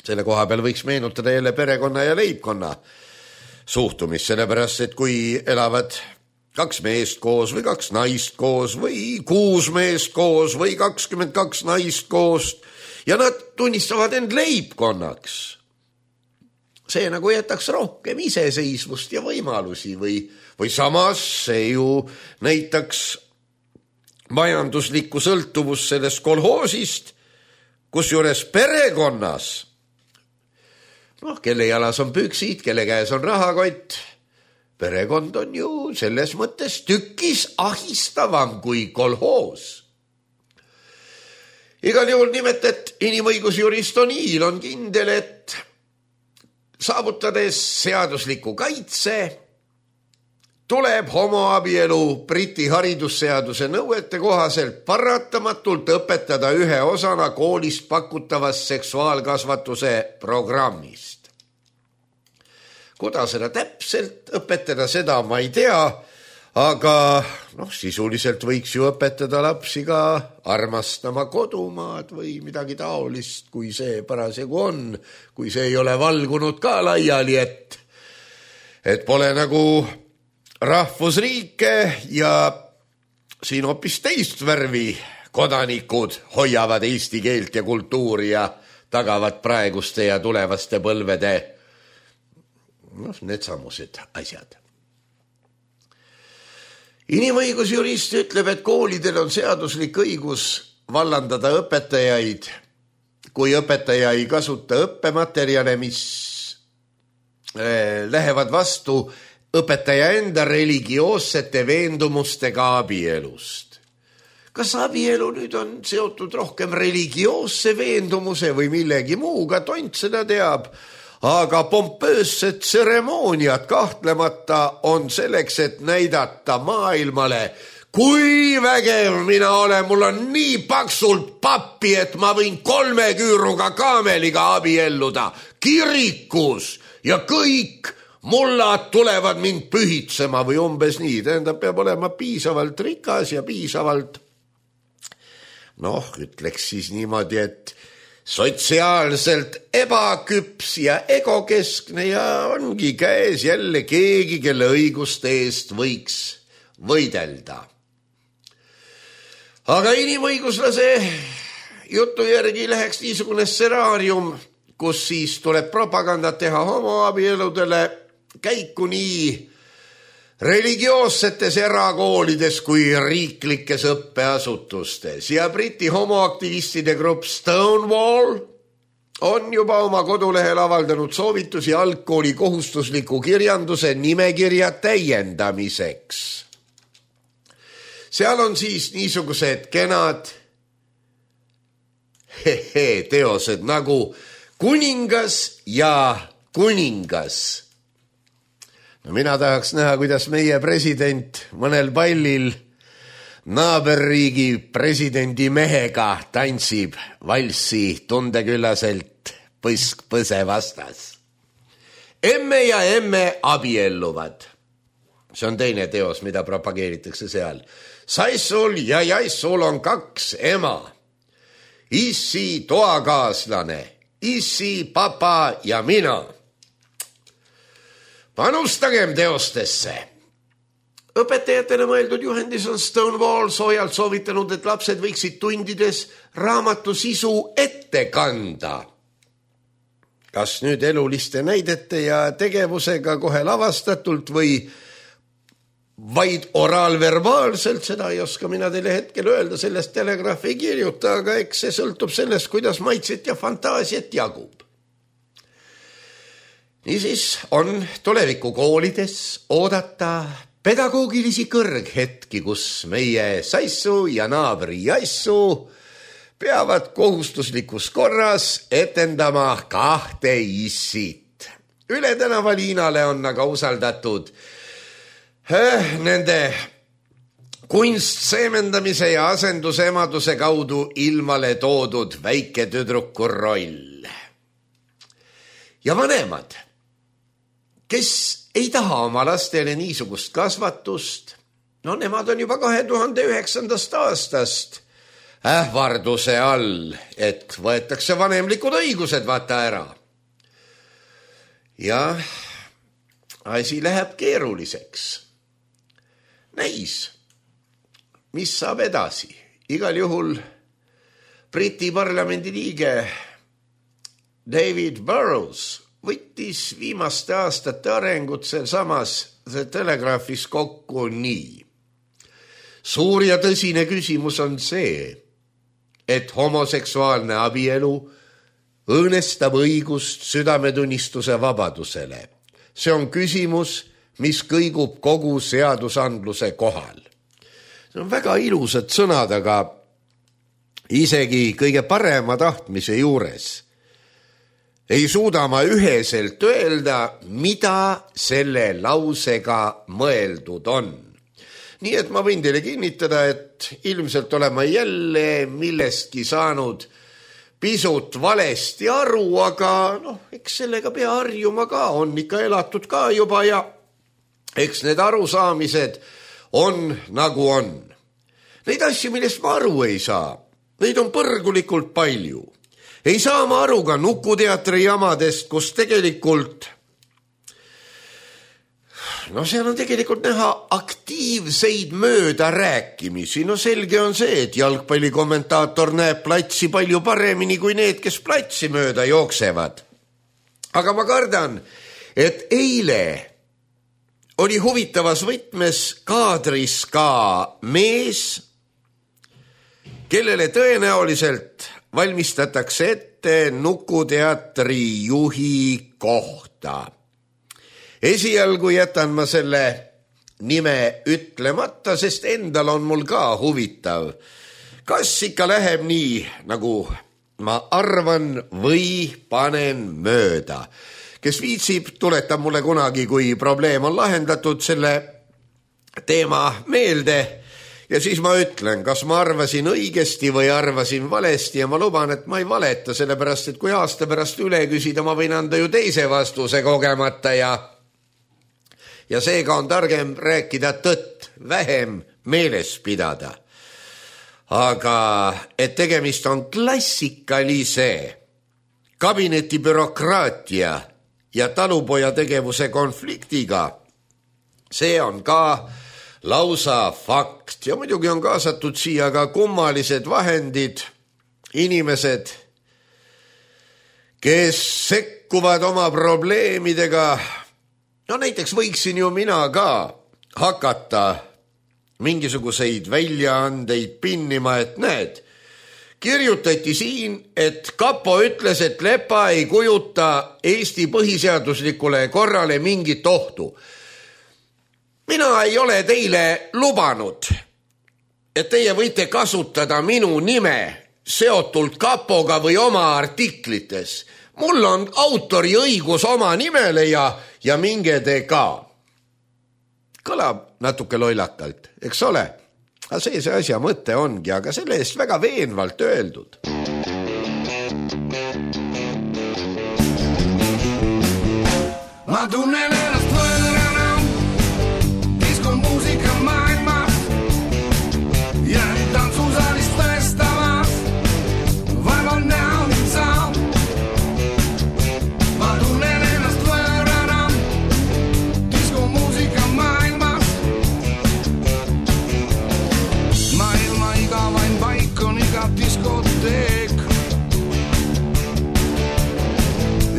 Selle koha peal võiks meenutada jälle perekonna ja leibkonna suhtumist, sellepärast, et kui elavad kaks meest koos või kaks naist koos või kuus meest koos või kakskümmend kaks naist koos ja nad tunnistavad end leibkonnaks, see nagu jätaks rohkem iseseisvust ja võimalusi või, või samas see ju näitaks majanduslikku sõltuvust sellest kolhoosist, kusjuures perekonnas, noh, kelle jalas on püksid, kelle käes on rahakott, perekond on ju selles mõttes tükis ahistavam kui kolhoos. Igal juhul nimetet inimõigusjurist O'Neill on kindel, et saavutades seadusliku kaitse, tuleb homoabielu Briti haridusseaduse nõuete kohaselt paratamatult õpetada ühe osana koolist pakutavast seksuaalkasvatuse programmist. Kuidas seda täpselt õpetada, seda ma ei tea, aga noh, sisuliselt võiks ju õpetada lapsi ka armastama kodumaad või midagi taolist, kui see parasjagu on, kui see ei ole valgunud ka laiali, et, et pole nagu rahvusriike ja siin hoopis teist värvi kodanikud hoiavad eesti keelt ja kultuuri ja tagavad praeguste ja tulevaste põlvede noh, need samused asjad. Inimõigusjurist ütleb, et koolidel on seaduslik õigus vallandada õpetajaid, kui õpetaja ei kasuta õppematerjale, mis lähevad vastu õpetaja enda religioossete veendumustega abielust. Kas abielu nüüd on seotud rohkem religioosse veendumuse või millegi muuga, tont seda teab, aga pompöössed tseremooniad kahtlemata on selleks, et näidata maailmale, kui vägev mina olen. Mul on nii paksult pappi, et ma võin kolme küüruga kaameliga abielluda kirikus ja kõik mullad tulevad mind pühitsema või umbes nii. Tähendab, peab olema piisavalt rikas ja piisavalt, noh, ütleks siis niimoodi, et sotsiaalselt ebaküps ja egokeskne ja ongi käes jälle keegi, kelle õiguste eest võiks võidelda. Aga inimõiguslase jutu järgi läheks niisugune stsenaarium, kus siis tuleb propagandat teha homoabieludele käiku nii religioossetes erakoolides kui riiklikes õppeasutustes. Ja Briti homoaktivistide grupp Stonewall on juba oma kodulehel avaldanud soovitusi algkooli kohustusliku kirjanduse nimekirja täiendamiseks. Seal on siis niisugused kenad hehe, teosed nagu Kuningas ja kuningas. No mina tahaks näha, kuidas meie president mõnel pallil naaberriigi presidendi mehega tantsib valssi tundeküllaselt põsk-põse vastas. Emme ja emme abielluvad. See on teine teos, mida propageeritakse seal. Saissul ja Jaissul on kaks ema. Issi toakaaslane, issi papa ja mina. Panustagem teostesse. Õpetajatele mõeldud juhendis on Stonewall soojalt soovitanud, et lapsed võiksid tundides raamatu sisu ette kanda. Kas nüüd eluliste näidete ja tegevusega kohe lavastatult või vaid oraalverbaalselt, seda ei oska mina teile hetkel öelda, sellest telegraaf ei kirjuta, aga eks see sõltub sellest, kuidas maitset ja fantaasiat jagub. Niisiis on tulevikukoolides oodata pedagoogilisi kõrghetki, kus meie Saissu ja naabri Jaissu peavad kohustuslikus korras etendama kahte issit. Üle tänava Liinale on aga usaldatud äh, nende kunstseemendamise ja asendusemaduse kaudu ilmale toodud väike tüdruku roll. Ja vanemad, kes ei taha oma lastele niisugust kasvatust, no nemad on juba kahe tuhande üheksandast aastast ähvarduse all, et võetakse vanemlikud õigused vaata ära. Ja asi läheb keeruliseks. Näis, mis saab edasi. Igal juhul Briti parlamendi liige David Burrows võttis viimaste aastate arengut samas telegraafis kokku nii. Suur ja tõsine küsimus on see, et homoseksuaalne abielu õõnestab õigust südametunnistuse vabadusele. See on küsimus, mis kõigub kogu seadusandluse kohal. See on väga ilusad sõnad, aga isegi kõige parema tahtmise juures ei suuda ma üheselt öelda, mida selle lausega mõeldud on. Nii et ma võin teile kinnitada, et ilmselt olen ma jälle millestki saanud pisut valesti aru, aga noh, eks sellega pea harjuma ka, on ikka elatud ka juba ja eks need arusaamised on nagu on. Neid asju, millest ma aru ei saa, neid on põrgulikult palju. Ei saa ma aru ka Nukuteatri jamadest, kus tegelikult, no seal on tegelikult näha aktiivseid mööda rääkimisi. No selge on see, et jalgpallikommentaator näeb platsi palju paremini kui need, kes platsi mööda jooksevad. Aga ma kardan, et eile oli huvitavas võtmes kaadris ka mees, kellele tõenäoliselt valmistatakse ette Nukuteatri juhi kohta. Esialgu jätan ma selle nime ütlemata, sest endal on mul ka huvitav. Kas ikka läheb nii, nagu ma arvan, või panen mööda? kes viitsib, tuletab mulle kunagi, kui probleem on lahendatud selle teema meelde ja siis ma ütlen, kas ma arvasin õigesti või arvasin valesti ja ma luban, et ma ei valeta, sellepärast, et kui aasta pärast üle küsida, ma võin anda ju teise vastuse kogemata ja ja seega on targem rääkida tõtt, vähem meeles pidada. Aga et tegemist on klassikalise kabineti bürokraatia ja talupoja tegevuse konfliktiga, see on ka lausa fakt ja muidugi on kaasatud siia ka kummalised vahendid, inimesed, kes sekkuvad oma probleemidega. No näiteks võiksin ju mina ka hakata mingisuguseid väljaandeid pinnima, et näed, kirjutati siin, et Kapo ütles, et Lepa ei kujuta Eesti põhiseaduslikule korrale mingit ohtu. Mina ei ole teile lubanud, et teie võite kasutada minu nime seotult Kapoga või oma artiklites. Mul on autoriõigus oma nimele ja, ja minge te ka. Kõlab natuke lollakalt, eks ole? Aga see see asja mõte ongi, aga selle eest väga veenvalt öeldud. Ma tunnen ennast võõrana diskomuusika maailmas ja tantsusaalist tõestamas vaeval näo mind saab. Ma tunnen ennast võõrana diskomuusika maailmas. Maailma igavain paik on iga diskoteek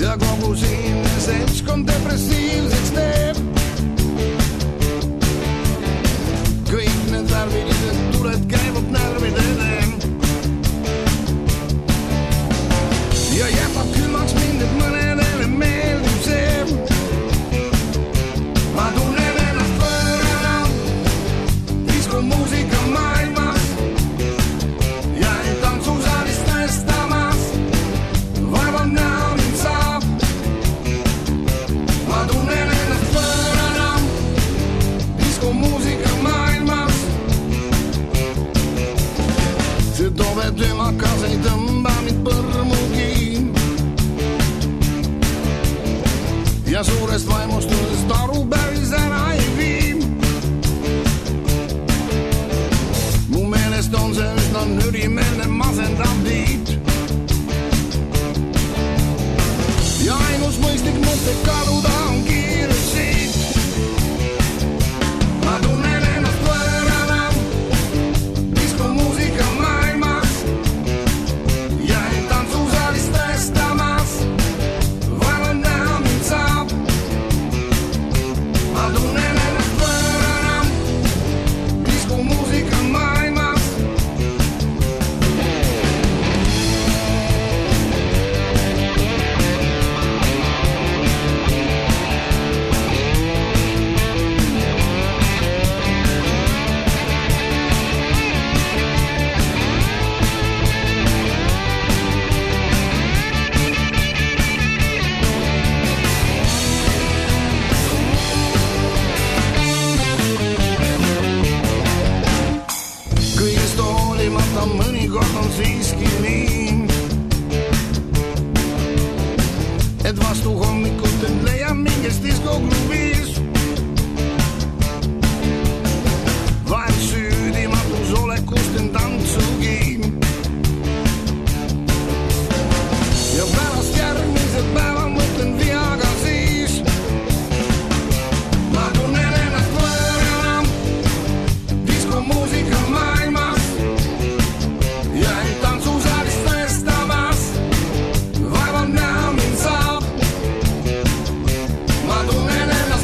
ja kogu siinne seltskond depressiivseks teeb. Kõik need värvilised tuled käivad närvidele ja jätab külmaks mind, et mõnedele meeldib see. Ma tunnen ennast võõrana diskomuusika maailmas ja tantsusaalist tõestamas vaeval näo mind saab. Ma tunnen ennast võõrana diskomuusika maailmas. See tove töömakas ei tõmba mind põrmugi ja suurest vaimustusest aru päris ära ei vii. Mu meelest on see üsna nürimeelne masendav tiit ja ainus mõistlik mõte kaduda on kiirus siit. Ma tunnen ennast võõrana diskomuusika maailmas ja tantsusaalist tõestamas vaeval näo mind saab. Ma tunnen ennast võõrana diskomuusika maailmas. Kõigest hoolimata mõnikord on siiski nii, et vastu hommikut end leiab mingis diskokluvis. Vahel süüdimatus olekust end tantsugi ja pärast järgmise päeva mõtlen viaga siis. Ma tunnen ennast võõrana diskomuusika maailmas ja tantsusaalist tõestamas vaeval näo mind saab. Ma tunnen ennast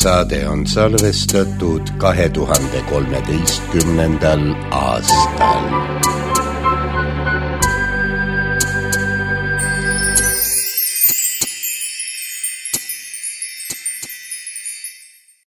saade on salvestatud kahe tuhande kolmeteistkümnendal aastal.